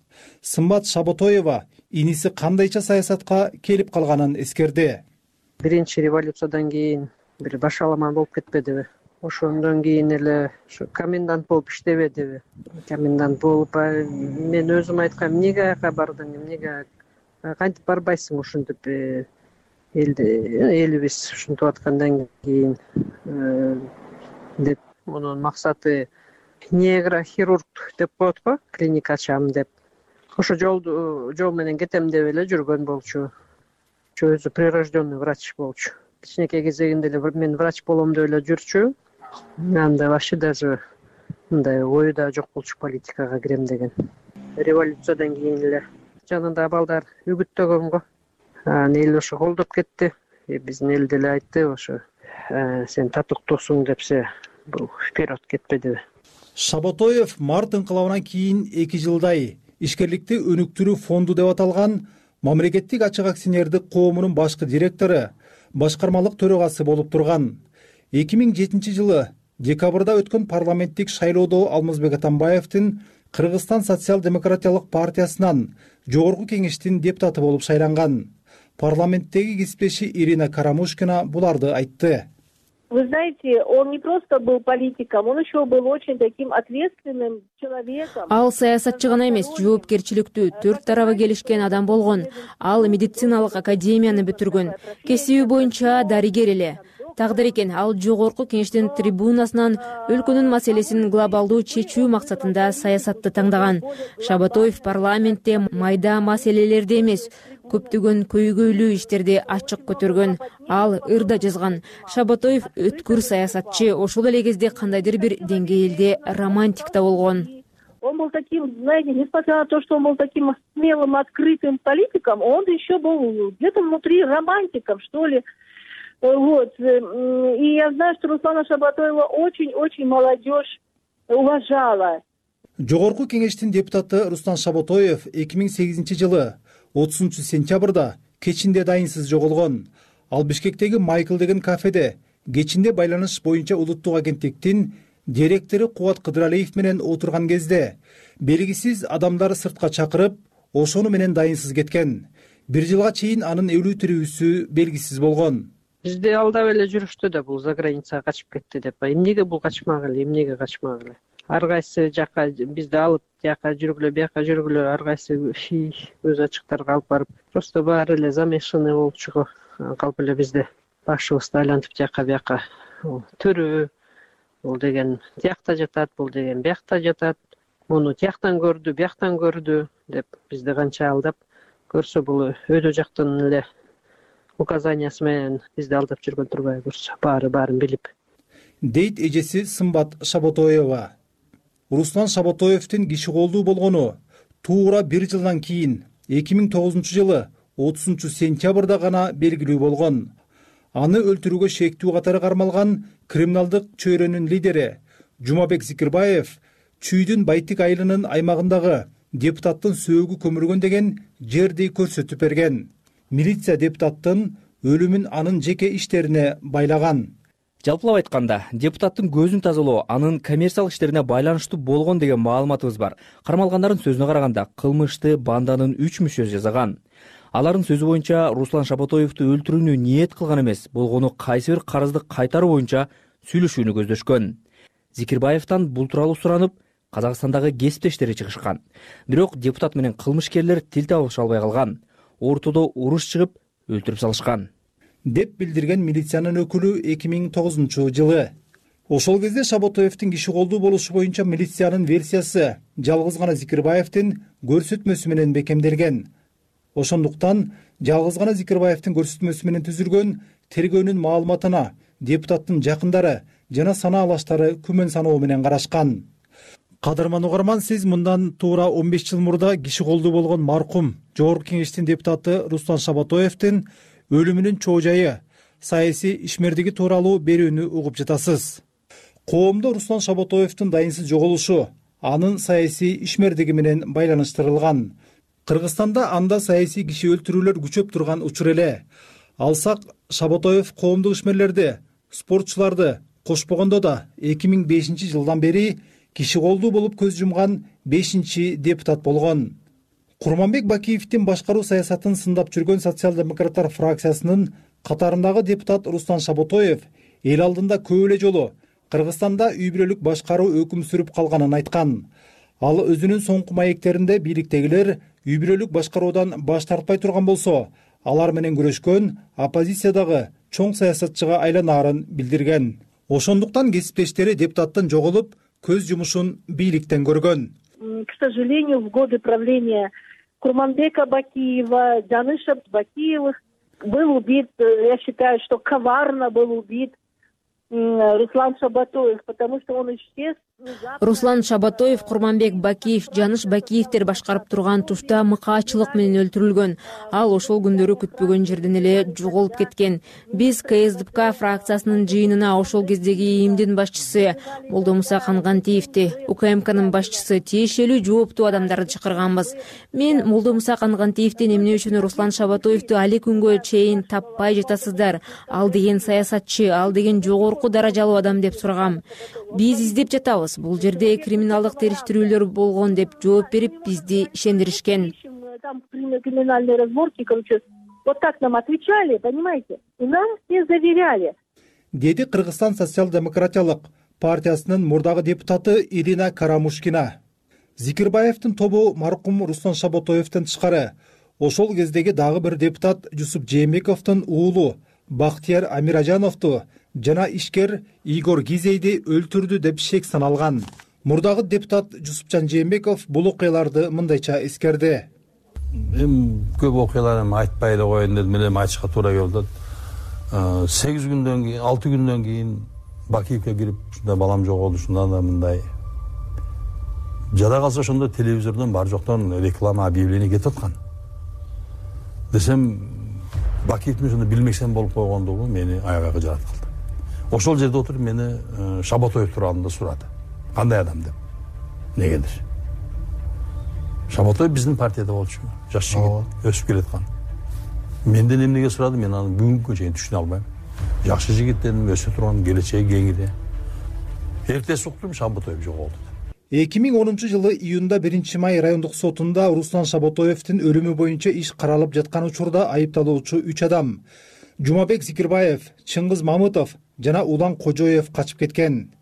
Сымбат Шаботоева иниси кандайча саясатка келип калганын эскерди. Биринчи революциядан кийин бир башаламан болуп кетпедиби? Ошондон кийин эле ушу комендант болуп иштебедиби? Комендант болуп мен өзүм айткам, эмнеге аяка бардың, эмнеге кантип барбайсың ушинтип элибиз ушинтип аткандан кийин деп мунун максаты нейрохирург деп коет го, клиника ачам деп. Ошо жол менен кетем деп эле жүргөн болчу. Өзү прирожденный врач болчу. Кичинекей кезегинде эле мен врач болом деп эле жүрчү. Анда вообще даже мындай ою да жок болчу политикага кирем деген. Революциядан кийин эле жанында балдар үгүттөгөнгө. Эл ошо колдоп кетти. Биздин эл деле айтты ошо сен татыктуусуң депсе, бул вперед кетпедиби? Шаботоев март инкылабынан кийин 2 жылдай ишкерликти өнүктүрүү фонду деп аталган мамлекеттик ачык акционердик коомунун башкы директору, башкармалык төрагасы болуп турган. 2007 жылы декабрда өткөн парламенттик шайлоодо Алмазбек Атамбаевдин Кыргызстан социал-демократиялык партиясынан Жогорку Кеңештин депутаты болуп шайланган. Парламенттеги кесиптеши Ирина Карамушкина буларды айтты. Вы знаете, он не просто был политиком, он еще был очень таким ответственным человеком. Ал саясатчы гана эмес, жоопкерчиликтүү, төрт тарабы келишкен адам болгон. Ал медициналык академияны бүтүргөн. Кесиби боюнча дарыгер эле. Тагдыр экен, ал Жогорку Кеңештин трибунасынан өлкөнүн маселесин глобалдуу чечүү максатында саясатты таңдаган. Шаботоев парламентте майда маселелерди эмес, көптөгөн көйгөйлүү иштерди ачык көтөргөн. Ал ырда жазган. Шаботоев өткүр саясатчы, ошол эле кезде кандайдыр бир деңгээлде романтик да болгон. Он был таким, знаете, несмотря на то, что он был таким смелым, открытым политиком, он еще был где-то внутри романтиком, что ли. Вот. И я знаю, что Руслана Шаботоева очень-очень молодежь уважала. Жогорку Кеңештин депутаты Руслан Шаботоев 2008 жылы 30 сентябрда кечинде дайынсыз жоголгон. Ал Бишкектеги Майкл деген кафеде кечинде байланыш боюнча улуттук агенттиктин директору Кубат Кыдыралиев менен отурган кезде белгисиз адамдар сыртка чакырып, ошону менен дайынсыз кеткен. Бир жылга чейин анын өлүү тирүүсү белгисиз болгон. Бизде алдап эле жүрүштү да, бул за границага качып кетти деп. Эмнеге бул качмагыла, эмнеге качмагыла? Ар кайсы жака бизди алып, жака жүргүлө, бияка жүргүлө, ар кайсы көз ачыктарга алып барып, просто баары эле замешанный болчу го калп эле бизде. башыбызды айлантып жака бияка төрү, бул деген тиякта жатат, бул деген биякта жатат, муну тияктан көрдү, бияктан көрдү деп бизди канча алдап көрсө, бул өйдө жактын эле указаниясы менен бизди алдап жүргөн турбай көрсө, баарын билип, дейт эжеси Сымбат Шаботоева. Руслан Шаботоевдин киши колдуу болгону туура 1 жылдан кийин 2009-жылы 30-сентябрда гана белгилүү болгон. Аны өлтүрүүгө шектүү катары кармалган криминалдык чөйрөнүн лидери Жумабек Зикирбаев Чүйдүн Байтик айылынын аймагындагы депутаттын сөөгү көмүлгөн деген жерди көрсөтүп берген. Милиция депутаттын өлүмүн анын жеке иштерине байлаган. Жалпылап айтканда, депутаттын көзүн тазалоо анын коммерциялык иштерине байланыштуу болгон деген маалыматыбыз бар. Кармалгандардын сөзүнө караганда, кылмышты банданын 3 мүчөсү жасаган. Алардын сөзү боюнча Руслан Шаботоевду өлтүрүүнү ниет кылган эмес, болгону кайсы бир карызды кайтаруу боюнча сүйлөшүүнү көздөшкөн. Зикирбаевден бул тууралуу суранып, Казакстандагы кесиптештери чыгышкан. Бирок депутат менен кылмышкерлер тил табыша албай калган. Ортодо уруш чыгып, өлтүрүп салышкан деп билдирген милициянын өкүлү 2009-жылы. Ошол кезде Шаботоевдин киши колдуу болушу боюнча милициянын версиясы жалгыз гана Зикирбаевдин көрсөтмөсү менен бекемделген. Ошондуктан жалгыз гана Зикирбаевдин көрсөтмөсү менен түзүлгөн тергөөнүн маалыматына депутаттын жакындары жана санаалаштары күмөн саноо менен карашкан. Кадырман угарман, сиз мындан туура 15 жыл мурда киши колдуу болгон маркум Жогорку Кеңештин депутаты Руслан Шаботоевдин өлүмүнүн чоо жайы, саясий ишмердиги тууралуу берүүнү угуп жатасыз. Коомдо Руслан Шаботоевдин дайынсыз жоголушу анын саясий ишмердиги менен байланыштырылган. Кыргызстанда анда саясий киши өлтүрүүлөр күчөп турган учур эле. Алсак, Шаботоев коомдук ишмерлерди, спортчуларды кошпогондо да 2005-жылдан бери киши колдуу болуп көз жумган 5-депутат болгон. Курманбек Бакиевдин башкаруу саясатын сындап жүргөн социал-демократтар фракциясынын катарындагы депутат Руслан Шаботоев эл алдында көп эле жолу Кыргызстанда үй бүлөлүк башкаруу өкүм сүрүп калганын айткан. Ал өзүнүн соңку маектеринде бийликтегилер үй бүлөлүк башкаруудан баш тартпай турган болсо, алар менен күрөшкөн оппозициядагы чоң саясатчыга айланаарын билдирген. Ошондуктан кесиптештери депутаттын жоголуп, көз жумушун бийликтен көргөн. К сожалению, в годы правления Курманбека Бакиева, Жаныша Бакиевых был убит, я считаю, что коварно был убит Руслан Шаботоев, потому что он исчез. Руслан Шаботоев, Курманбек Бакиев, Жаныш Бакиевтер башкарып турган тушта мыкаачылык менен өлтүрүлгөн. Ал ошол күндөрү күтпөгөн жерден эле жоголуп кеткен. Биз КСДП фракциясынын жыйынына ошол кездеги ИИМдин башчысы Молдомуса Кангантиевди, УКМКнын башчысы тиешелүү жооптуу адамдарды чакырганбыз. Мен Молдомуса Кангантиевден эмне үчүн Руслан Шаботоевду али күнгө чейин таппай жатасыздар? Ал деген саясатчы, ал деген жогорку даражалуу адам деп сурагам. Биз издеп жатабыз. Бул жерде криминалдык териштирүүлөр болгон деп жооп берип, бизди ишендиришкен. Там криминальные разборки, короче, вот так нам отвечали, понимаете? И нам все заверяли. Деди Кыргызстан социал-демократиялык партиясынын мурдагы депутаты Ирина Карамушкина. Зикирбаевдин тобу маркум Руслан Шаботоевден тышкары ошол кездеги дагы бир депутат Жусуп Жээнбековдун уулу Бактияр Амиражановду жана ишкер Игорь Гизейди өлтүрдү деп шек саналган. Мурдагы депутат Жусупжан Жээнбеков бул окуяларды мындайча эскерди. Эми көп окуяларды айтпай эле коеюн дедим, эле айтышка туура келди. 8 күндөн кийин, 6 күндөн кийин Бакиевке кирип, ушундай балам жоголду, ушундай да мындай. Жада калса ошондо телевизордон бар жоктон реклама, объявление кетип аткан. Десем, Бакиев ошондо билмесем болуп койгондугу мени аябай жаратып калды. Ошол жерде отуруп мени Шаботоев тууралуу сурады. Кандай адам деп. Негедир? Шаботоев биздин партияда болчу. Жаш жигит, өсүп келаткан. Менден эмнеге сурады, мен аны бүгүнкү чейин түшүнө албайм. Жакшы жигит дедим, өсө турган, келечеги кеңири. Эртеси уктум, Шаботоев жоголду. 2010-жылы июнда 1-май райондук сотунда Руслан Шаботоевдин өлүмү боюнча иш каралып жаткан учурда айыпталуучу 3 адам Жумабек Зикирбаев, Чыңгыз Мамытов жана Улан Кожоев качып кеткен.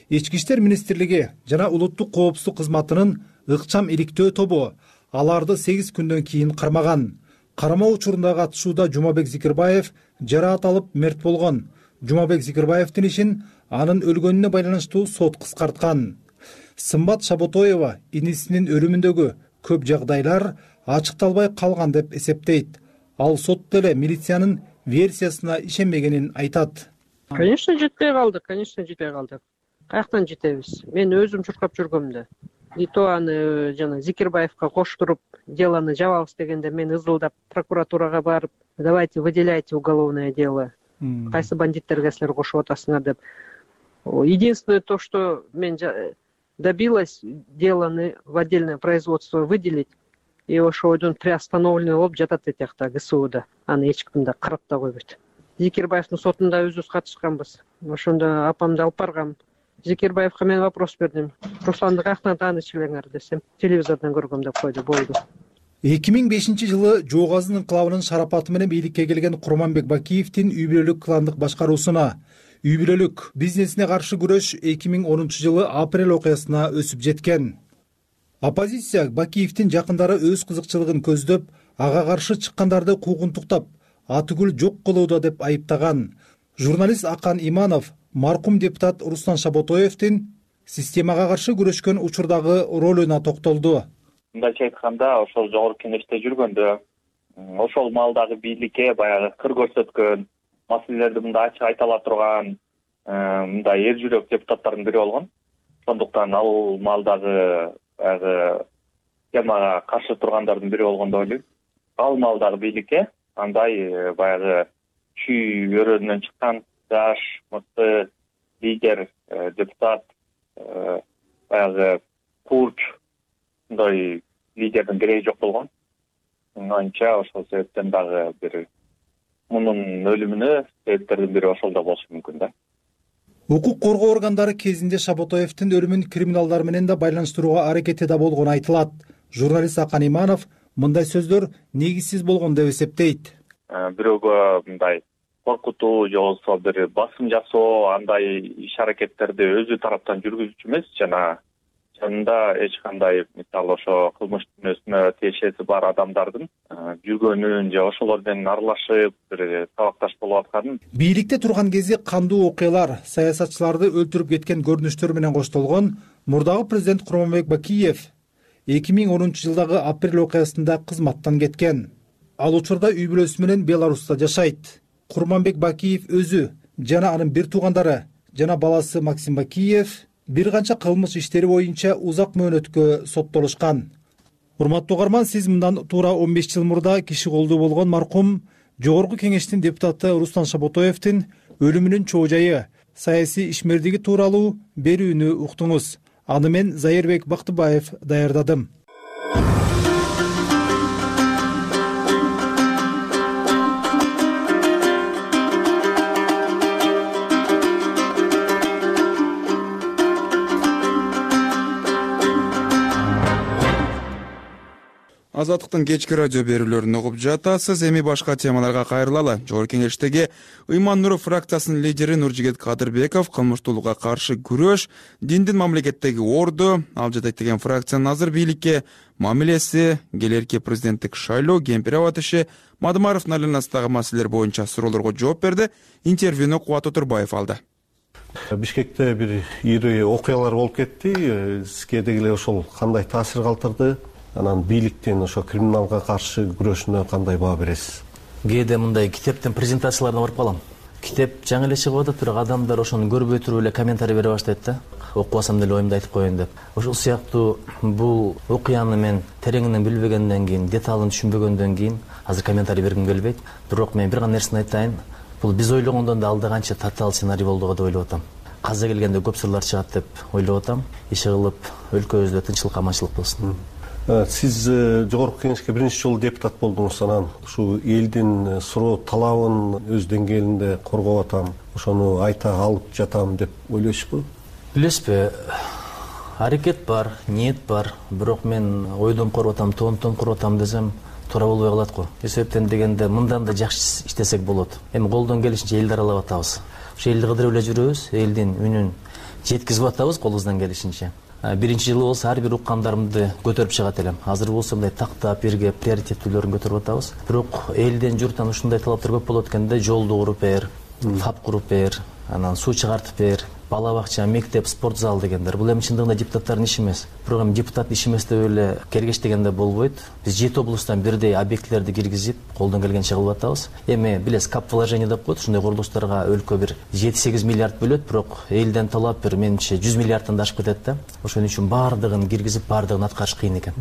Ички иштер министрлиги жана улуттук коопсуздук кызматынын ыкчам иликтөө тобу аларды 8 күндөн кийин кармаган. Кармоо учурундагы атышууда Жумабек Зикирбаев жараат алып мерт болгон. Жумабек Зикирбаевдин ишин анын өлгөнүнө байланыштуу сот кыскарткан. Сымбат Шаботоева инисинин өлүмүндөгү көп жагдайлар ачыкталбай калган деп эсептейт. Ал сот деле милициянын версиясына ишенбегенин айтат. Конечно, жетпей калдык, Каяктан жетебиз? Мен өзүм чуркап жүргөм да. И то аны жана Зикирбаевка коштуруп, делону жабабыз дегенде мен ызылдап прокуратурага барып, давайте выделяйте уголовное дело. Кайсы бандиттерге силер кошуп атасыңар деп. Единственное то, что мен добилась делоны в отдельное производство выделить, и ошойдун приостановленный болуп жатат этиякта ГСУда. Аны эч ким да карап да койбойт. Зикирбаевдин сотунда өзүбүз катышканбыз. Ошондо апамды алып баргам. Зикирбаевка мен вопрос бердим. Русланды каяктан тааныш элеңер десем, телевизордон көргөм деп койду, болду. 2005-жылы Жоогазын инкылабынын шарапаты менен бийликке келген Курманбек Бакиевдин үй бүлөлүк кландык башкаруусуна, үй бүлөлүк бизнесине каршы күрөш 2010-жылы апрель окуясына өсүп жеткен. Оппозиция Бакиевдин жакындары өз кызыкчылыгын көздөп, ага каршы чыккандарды куугунтуктап, атүгүл жок кылууда деп айыптаган. Журналист Акан Иманов маркум депутат Руслан Шаботоевдин системага каршы күрөшкөн учурдагы ролуна токтолду. Мындайча айтканда, ошол жогорку кеңеште жүргөндө, ошол маалдагы бийликке баягы кыр көрсөткөн, маселелерди мындай ачык айта ала турган, мындай эр жүрөк депутаттардын бири болгон. Ошондуктан ал маалдагы баягы системага каршы тургандардын бири болгон деп ойлойм. Ал маалдагы бийликке андай баягы чүй өрөөнүнөн чыккан жаш, мыкты лидер, депутат, баягы курч, мындай лидердин кереги жок болгон. Анча ошол себептен дагы бир мунун өлүмүнө себептердин бири ошол да болушу мүмкүн да. Укук коргоо органдары кезинде Шаботоевдин өлүмүн криминалдар менен да байланыштырууга аракети да болгону айтылат. Журналист Акан Иманов мындай сөздөр негизсиз болгон деп эсептейт. Бирөөгө мындай коркутуу же болбосо бир басым жасоо, андай иш-аракеттерди өзү тараптан жүргүзүүчү эмес, жана чынында эч кандай мисалы ошо кылмыш дүнөсүнө тиешеси бар адамдардын жүргөнүн же ошолор менен аралашып бир сабакташ болуп атканын. Бийликте турган кезде кандуу окуялар, саясатчыларды өлтүрүп кеткен көрүнүштөр менен коштолгон мурдагы президент Курманбек Бакиев 2010-жылдагы апрель окуясында кызматтан кеткен. Ал учурда үй бүлөсү менен Беларуста жашайт. Курманбек Бакиев өзү жана анын бир туугандары жана баласы Максим Бакиев бир канча кылмыш иштери боюнча узак мөөнөткө соттолушкан. Урматтуу угарман, сиз мындан туура 15 жыл мурда киши колдуу болгон маркум Жогорку кеңештин депутаты Руслан Шаботоевдин өлүмүнүн чоо жайы, саясий ишмердиги тууралуу берүүнү уктуңуз. Аны мен Зайырбек Бактыбаев даярдадым. Азаттыктын кечки радио берүүлөрүн угуп жатасыз. Эми башка темаларга кайрылалы. Жогорку кеңештеги Ыйман Нуров фракциясынын лидери Нуржигит Кадырбеков кылмыштуулукка каршы күрөш, диндин мамлекеттеги орду, ал жетек деген фракциянын азыр бийликке мамилеси, келерки президенттик шайлоо, кемпир аба атышы, Мадымаровдун айланасындагы маселелер боюнча суроолорго жооп берди. Интервьюну Кубат Отурбаев алды. Бишкекте бир ири окуялар болуп кетти. Сизге дегиле ошол кандай таасир калтырды? Анан бийликтин ошо криминалга каршы күрөшүнө кандай баа бересиз? Кээде мындай китептин презентацияларына барып калам. Китеп жаңы эле чыгып атат, бирок адамдар ошону көрбөй туруп эле комментарий бере баштайт да. Окубасам деле оюмду айтып коеюн деп. Ошол сыяктуу бул окуяны мен тереңинен билбегенден кийин, деталын түшүнбөгөндөн кийин азыр комментарий бергим келбейт. Бирок мен бир гана нерсени айтайын. Бул биз ойлогондон да алда канча татаал сценарий болду деп ойлоп атам. Каза келгенде көп сырлар чыгат деп ойлоп атам. Иши кылып өлкөбүздө тынччылык, аманчылык болсун. Сиз жогорку кеңешке биринчи жолу депутат болдуңуз, анан ушу элдин суроо талабын өз деңгээлинде коргоп атам, ошону айта алып жатам деп ойлойсузбу? Билесизби, аракет бар, ниет бар, бирок мен ойдон коруп атам, тоонтон коруп атам десем туура болбой калат го. Эсептен дегенде мындан да жакшы иштесек болот. Эми колдон келишинче элди аралап атабыз. Ошо элди кыдырып эле жүрөбүз, элдин үнүн жеткизип атабыз колубуздан келишинче. биринчи жылы болсо ар бир уккандарымды көтөрүп чыгат элем. Азыр болсо мындай тактап бирге приоритеттүүлөрүн көтөрүп атабыз. Бирок элден журттан ушундай талаптар көп болот экен жолду куруп бер, фап куруп бер, анан суу чыгартып бер, бала бакча, мектеп, спорт зал дегендер. Бул эми чындыгында депутаттардын иши эмес. Бирок эми депутат иши эмес деп эле кергеш дегенде болбойт. Биз 7 облустан бирдей объектилерди киргизип, колдон келгенче кылып атабыз. Эми билесиз, кап вложение деп коет, ушундай курулуштарга өлкө бир 7-8 миллиард бөлөт, бирок элден талап бир менимче 100 миллиарддан да ашып кетет да. Ошон үчүн баардыгын киргизип, баардыгын аткарыш кыйын экен.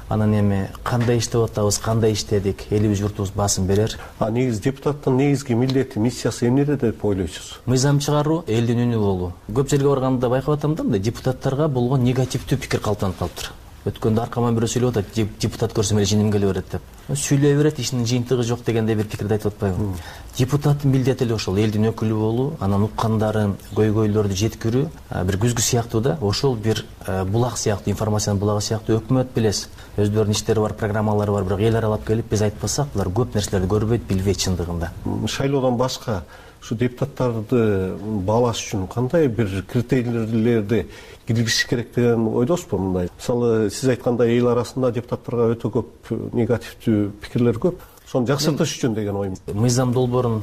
Анан эми кандай иштеп атабыз, кандай иштедик, элибиз журтубуз басым берер. Негизи депутаттын негизги милдети, миссиясы эмнеде деп ойлойсуз? Мыйзам чыгаруу, элдин үнү болуу. Көп жерге барганда байкап атам да, депутаттарга болгон негативдүү пикир калыптанып калыптыр. Өткөндө аркаман бирөө сүйлөп атат, депутат көрсөм эле жиним келе берет деп. Сүйлөй берет, ишинин жыйынтыгы жок дегендей бир пикирди айтып атпайбы? Депутаттын милдети эле ошол, элдин өкүлү болуу, анан уккандарын, көйгөйлөрдү жеткирүү, бир күзгү сыяктуу да, ошол бир булак сыяктуу, информациянын булагы сыяктуу. Өкмөт билесиз, өздөрүнүн иштери бар, программалары бар, бирок эл аралап келип биз айтпасак, булар көп нерселерди көрбөйт, билбейт чындыгында. Шайлоодон башка ушу депутаттарды баалаш үчүн кандай бир критерийлерди киргизиш керек деген ойдосузбу? Мындай мисалы сиз айткандай эл арасында депутаттарга өтө көп негативдүү пикирлер көп. Ошону жакшыртыш үчүн деген оюм. Мыйзам долбоорун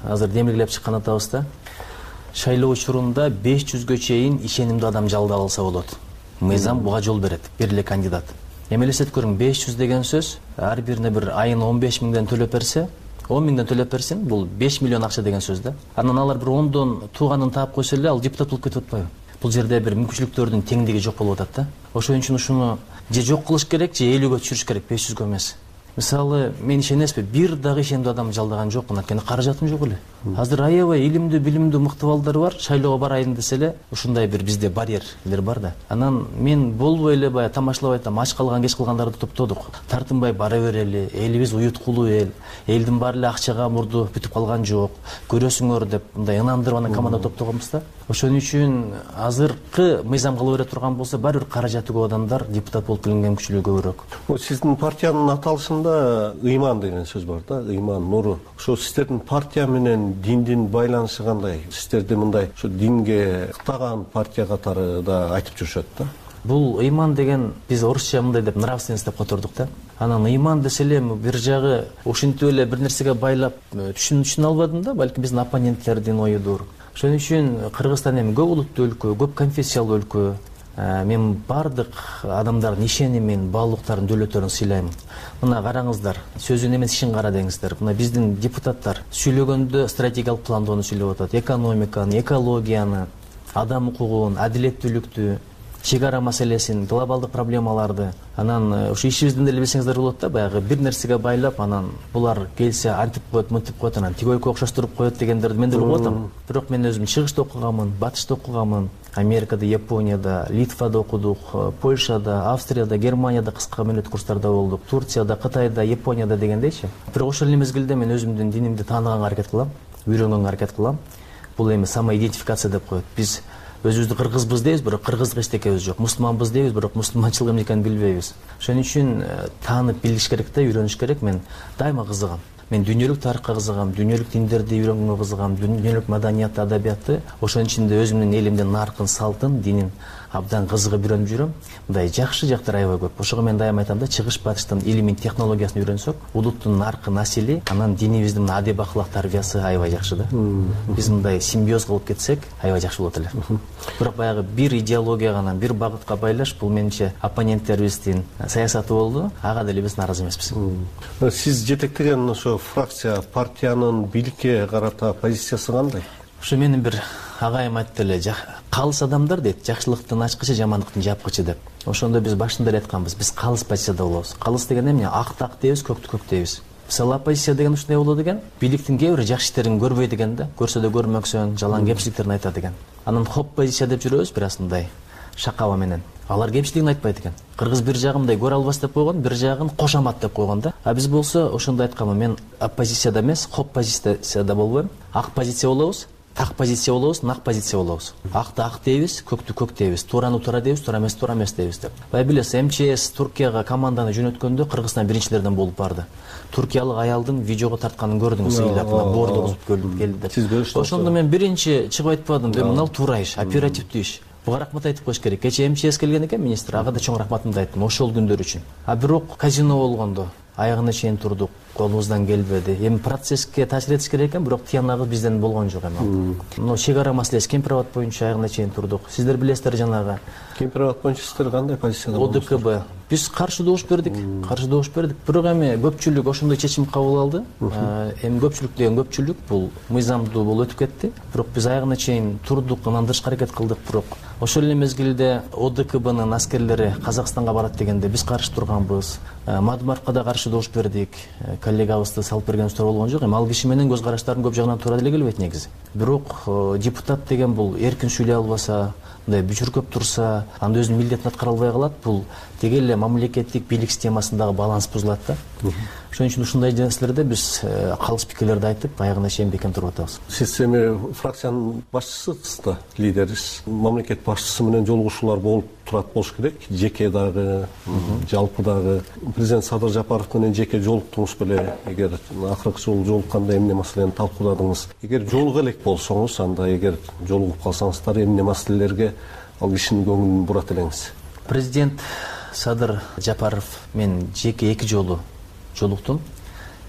азыр демилгелеп чыккан атабыз да. Шайлоо учурунда 500гө чейин ишенимдүү адам жалдап алса болот. Мыйзам буга жол берет, бир эле кандидат. Эми элестетип көрүң, 500 деген сөз ар бирине бир айына 15 миңден төлөп берсе, 10 миңден төлөп берсин, бул 5 миллион акча деген сөз да. Анан алар бир 10дон тууганын таап койсо эле ал депутат болуп кетип атпайбы? Бул жерде бир мүмкүнчүлүктөрдүн теңдиги жок болуп атат да. Ошон үчүн ушуну же жок кылыш керек, же 50гө түшүрүш керек, 500гө эмес. Мисалы, мен ишенесизби, бир дагы ишендүү адам жалдаган жокмун, анткени каражатым жок эле. Азыр аябай илимдүү, билимдүү мыкты балдар бар, шайлоого барайын десе эле ушундай бир бизде барьерлер бар да. Анан мен болбой эле баягы тамашалап айтам, ач калган, кеч калгандарды топтодук. Тартынбай бара берели, элибиз уюткулуу эл, элдин баары эле акчага мурду бүтүп калган жок, көрөсүңөр деп мындай ынандырып анан команда топтогонбуз да. Ошон үчүн азыркы мыйзам кыла бере турган болсо, баары бир каражаты көп адамдар депутат болуп келген мүмкүнчүлүгү көбүрөөк. Сиздин партиянын аталышында ыйман деген сөз бар да, ыйман нуру. Ошо сиздердин партия менен диндин байланышы кандай? Сиздерди мындай ошо динге ыктаган партия катары да айтып жүрүшөт да. Бул ыйман деген биз орусча мындай деп нравственность деп котордук да. Анан ыйман десе эле бир жагы ошентип эле бир нерсеге байлап түшүнө албадым да, балким биздин оппоненттердин оюдур. Ошон үчүн Кыргызстан эми көп улуттуу өлкө, көп конфессиялуу өлкө. Мен бардык адамдардын ишенимин, баалуулуктарын, дөөлөттөрүн сыйлайм. Мына караңыздар, сөзүн эмес ишин кара деңиздер. Мына биздин депутаттар сүйлөгөндө стратегиялык пландоону сүйлөп атат, экономиканы, экологияны, адам укугун, адилеттүүлүктү, чек ара маселесин, глобалдык проблемаларды. Анан ушу ишибизден деле билсеңиздер болот да, баягы бир нерсеге байлап, анан булар келсе антип коет, мынтип коет, анан тигөйкө окшоштуруп коет дегендерди мен деле угуп атам. Бирок мен өзүм чыгышта окуганмын, батышта окуганмын. Америкада, Японияда, Литвада окудук, Польшада, Австрияда, Германияда кыска мөөнөт курстарда болдук, Турцияда, Кытайда, Японияда дегендейчи. Бирок ошол эле мезгилде мен өзүмдүн динимди тааныганга аракет кылам, үйрөнгөнгө аракет кылам. Бул эми самоидентификация деп коет. Биз өзүбүздү кыргызбыз дейбиз, бирок кыргыздык эчтекебиз жок. Мусулманбыз дейбиз, бирок мусулманчылык эмне экенин билбейбиз. Ошон үчүн таанып билиш керек да, үйрөнүш керек. Мен дайыма кызыгам. Мен дүйнөлүк тарыхка кызыгам, дүйнөлүк диндерди үйрөнгөнгө кызыгам, дүйнөлүк маданиятты, адабиятты. Ошонун ичинде өзүмдүн элимдин наркын, салтын, динин абдан кызыгып үйрөнүп жүрөм. Мындай жакшы жактары аябай көп. Ошого мен дайыма айтам да, чыгыш батыштын илимин, технологиясын үйрөнсөк, улуттун наркы, насили, анан динибиздин адеп акылак тарбиясы аябай жакшы да. Биз мындай симбиоз кылып кетсек, аябай жакшы болот эле. Бирок баягы бир идеологияга, анан бир багытка байлаш, бул менимче оппоненттерибиздин саясаты болду. Ага деле биз нааразы эмеспиз. Сиз жетектеген ошо фракция, партиянын бийликке карата позициясы кандай? Ушу менин бир агайым айтты эле, калыс адамдар дейт, жакшылыктын ачкычы, жамандыктын жапкычы деп. Ошондо биз башында эле айтканбыз, биз калыс позицияда болобуз. Калыс деген эмне? Акты ак дейбиз, көктү көк дейбиз. Мисалы оппозиция деген ушундай болот экен, бийликтин кээ бир жакшы иштерин көрбөйт экен да, көрсө да көрмөксөн, жалаң кемчиликтерин айтат экен. Анан хоп позиция деп жүрөбүз, бир асындай шакаба менен. Алар кемчилигин айтпайт экен. Кыргыз бир жагын мындай көрө албас деп койгон, бир жагын кошомат деп койгон да. А биз болсо ошондой айтканмын, мен оппозицияда эмес, хоп позицияда болбойм. Ак позиция болобуз, так позиция болобуз, нак позиция болобуз. Акты ак дейбиз, көктү көк дейбиз, туураны туура дейбиз, туура эмес дейбиз деп. Билесиз, МЧС Туркияга команданы жөнөткөндө Кыргызстан биринчилерден болуп барды. Туркиялык аялдын видеого тартканын көрдүңүз, ыйлап, боордо бузуп келди деп. Ошондо мен биринчи чыгып айтпадым, мына туура иш, оперативдүү иш. буга рахмат айтып коюш керек. Кечээ МЧС келген экен министр, ага да чоң рахматымды айттым ошол күндөр үчүн. А бирок казино болгондо аягына чейин турдук, колубуздан келбеди. Эми процесске таасир этиш керек экен, бирок тыянагы бизден болгон жок эми. Мына чек ара маселеси Кемпир-Абад боюнча аягына чейин турдук. Сиздер билесиздер жанагы Кемпир-Абад боюнча сиздер кандай позицияда болдуңуздар? ОДКБ. Биз каршы добуш бердик. Бирок эми көпчүлүк ошондой чечим кабыл алды. Эми көпчүлүк деген көпчүлүк бул мыйзамдуу болуп өтүп кетти. Бирок биз аягына чейин турдук, андан тышкы аракет кылдык. Бирок ошол эле мезгилде ОДКБнын аскерлери Казакстанга барат дегенде биз каршы турганбыз. Мадмаркка да каршы добуш бердик. Коллегабызды салып берген учур болгон жок. Эми ал киши менен көз караштарын көп жагынан туура деле келбейт негизи. Бирок депутат деген бул эркин сүйлөй албаса, мындай бүчүркөп турса, анда өзүнүн милдетин аткара албай калат. Бул теге эле мамлекеттик бийлик системасындагы баланс бузулат да. Ошон үчүн ушундай нерселерде биз калыс пикирлерди айтып, аягына чейин бекем туруп атабыз. Сиз эми фракциянын башчысысыз да, лидерисиз. Мамлекет башчысы менен жолугушуулар болуп турат болуш керек. Жеке дагы, жалпы дагы. Президент Садыр Жапаров менен жеке жолуктуңуз беле, эгер акыркы жолу жолукканда эмне маселени талкууладыңыз? Эгер жолуга элек болсоңуз, анда эгер жолугуп калсаңыздар эмне маселелерге ал кишинин көңүлүн бурат элеңиз? Президент Садыр Жапаров мен жеке 2 жолу жолуктум.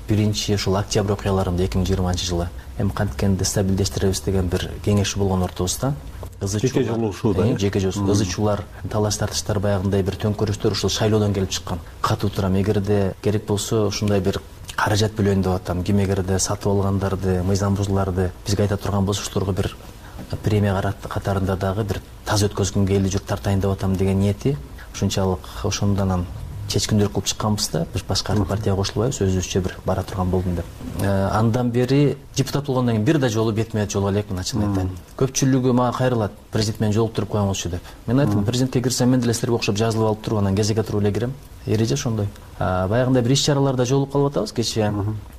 Биринчи ушул октябрь окуяларында 2020-жылы. Эми канткенди стабилдештиребиз деген бир кеңеши болгон ортобузда. Жеке жолугушууда. Жеке жолугушуу. Ызычуулар, талаш тартыштар баягындай бир төңкөрүштөр ушул шайлоодон келип чыккан. Катуу турам, эгерде керек болсо ушундай бир каражат бөлөйүн деп атам. Ким эгерде сатып алгандарды, мыйзам бузууларды бизге айта турган болсо, ушуларга бир премия катарында дагы бир таза өткөзгөнгө эле жүрүп тартайын деп атам деген ниети. Ушунчалык ошондон чечкиндер кылып чыкканбыз да, биз башка партияга кошулбайбыз, өзүбүзчө бир бара турган болдум деп. Андан бери депутат болгондон кийин бир да жолу бетме бет жолуга элекмин, ачыгын айтайын. Көпчүлүгү мага кайрылат, президент менен жолуктуруп коюңузчу деп. Мен айттым, президентке кирсем мен деле силерге окшоп жазылып алып туруп, анан кезекке туруп эле кирем. Эреже ошондой. Баягындай бир иш-чараларда жолугуп калып атабыз. Кечээ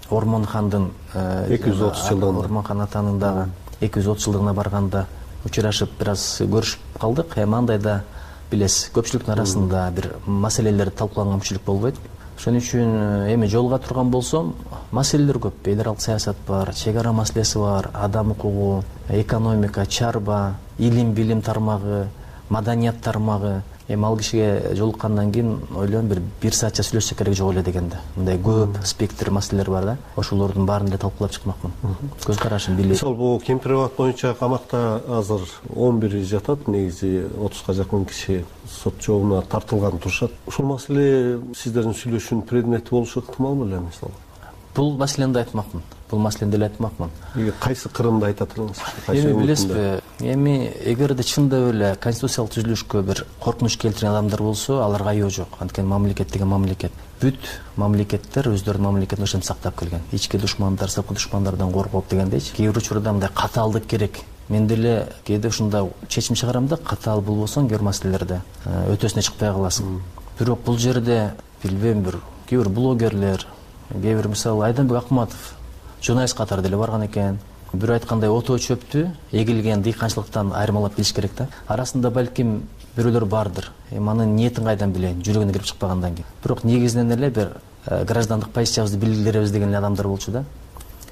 Ормон хандын 230 жылдыгында, Ормон хан атанын дагы 230 жылдыгына барганда учурашып бир аз көрүшүп калдык. Эми андайда билесиз, көпчүлүктүн арасында бир маселелер талкууланган көпчүлүк болбойт. Ошон үчүн эми жолуга турган болсом, маселелер көп. Эл аралык саясат бар, чек ара маселеси бар, адам укугу, экономика, чарба, илим билим тармагы, маданият тармагы. Эми ал кишиге жолуккандан кийин ойлойм, бир саатча сүйлөшсөк керек жок эле дегенде. Мындай көп спектр маселелер бар да. Ошолордун баарын эле талкуулап чыкмакмын. Көз карашым билет. Мисалы, бул Кемпир-Абад боюнча камакта азыр 11 жатат, негизи 30га жакын киши сот жообуна тартылган турушат. Ушул маселе сиздердин сүйлөшүүнүн предмети болушу ыктымал беле, мисалы? Бул маселени да айтмакмын. Бул маселени деле айтмакмын. Кайсы кырында айтат элеңиз? Эми билесизби, эми эгерде чындап эле конституциялык түзүлүшкө бир коркунуч келтирген адамдар болсо, аларга айоо жок. Анткени мамлекет деген мамлекет. Бүт мамлекеттер өздөрүнүн мамлекетин ошентип сактап келген. Ички душмандар, сырткы душмандардан коргоп дегендейчи. Кээ бир учурда мындай катаалдык керек. Мен деле кээде ушундай чечим чыгарам да, катаал болбосоң кээ бир маселелерде өтөсүнө чыкпай каласың. Бирок бул жерде билбейм, кээ бир блогерлер, кээ бир мисалы Айданбек Акматов журналист катары деле барган экен. Бирөө айткандай, ото чөптү эгилген дыйканчылыктан айырмалап билиш керек да. Арасында балким бирөөлөр бардыр. Эми анын ниетин кайдан билейин, жүрөгүнө кирип чыкпагандан кийин. Бирок негизинен эле бир граждандык позициябызды билдиребиз деген адамдар болчу да.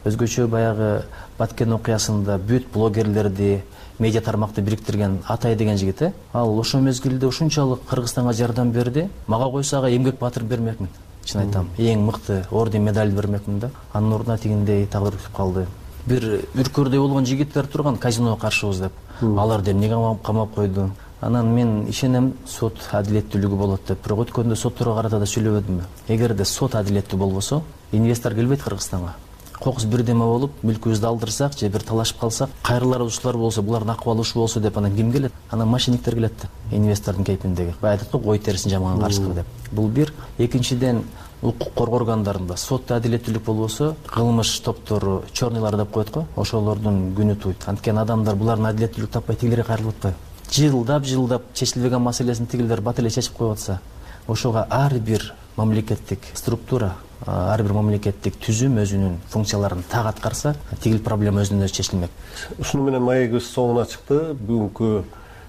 Өзгөчө баягы Баткен окуясында бүт блогерлерди, медиа тармакты бириктирген Атай деген жигит, ал ошол мезгилде ушунчалык Кыргызстанга жардам берди. Мага койсо ага эмгек баатыр бермекмин. Чын айтам, эң мыкты орден медаль бермекмин да. Анын ордуна тигиндей тагдыр күтүп калды. Бир үркөрдөй болгон жигиттер турган, казиного каршыбыз деп. Аларды эмнеге камап койду? Анан мен ишенем, сот адилеттүүлүгү болот деп. Бирок өткөндө сотторго карата да сүйлөбөдүмбү? Эгерде сот адилеттүү болбосо, инвестор келбейт Кыргызстанга. Кокус бирдеме болуп, мүлкүбүздү алдырсак же бир талашып калсак, кайрылуучулар болсо, булардын акыбалы ушул болсо деп анан ким келет? Анан мошенниктер келет да, инвестордун кейпиндеги. Баягы айтат го, ой терисин жамаган карышкыр деп. Бул бир. Экинчиден, укук коргоо органдарында сотто адилеттүүлүк болбосо, кылмыш топтору, черныйлар деп коет го, ошолордун күнү туйт. Анткени адамдар булардын адилеттүүлүк таппай тигилерге кайрылып атпайбы? Жылдап чечилбеген маселесин тигилер бат эле чечип коюп атса, ошого ар бир мамлекеттик структура, ар бир мамлекеттик түзүм өзүнүн функцияларын так аткарса, тигил проблема өзүнөн өзү чечилмек. Ушуну менен маегибиз соңуна чыкты. Бүгүнкү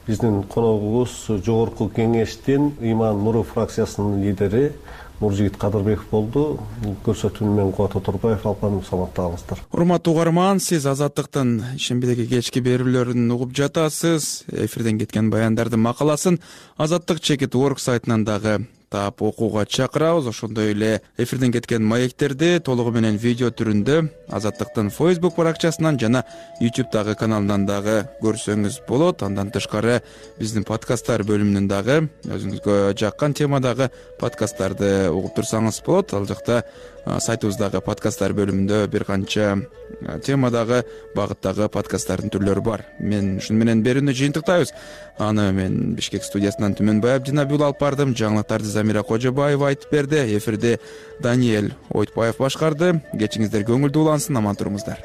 биздин коногубуз Жогорку Кеңештин Иман Нуров фракциясынын лидери Нуржигит Кадырбеков болду. Бул көрсөтүүнү мен Кубат Оторбаев алып калдым. Саламаттыгыңыздар. Урматтуу угарман, сиз Азаттыктын ишембидеги кечки берүүлөрүн угуп жатасыз. Эфирден кеткен баяндардын макаласын Азаттык.org сайтынан дагы таап окууга чакырабыз. Ошондой эле эфирден кеткен маектерди толугу менен видео түрүндө Азаттыктын Facebook баракчасынан жана YouTube'дагы каналынан дагы көрсөңүз болот. Андан тышкары биздин подкасттар бөлүмүнөн дагы өзүңүзгө жаккан темадагы подкасттарды угуп турсаңыз болот. Ал жакта сайтыбыздагы подкасттар бөлүмүндө бир канча темадагы багыттагы подкасттардын түрлөрү бар. Мен ушуну менен берүүнү жыйынтыктайбыз. Аны мен Бишкек студиясынан Түмөнбай Абдинабил алып бардым. Жаңылыктарды Замира Кожобаева айтып берди. Эфирде Даниэль Ойтбаев башкарды. Кечиңиздер көңүлдүү улансын, аман туруңуздар.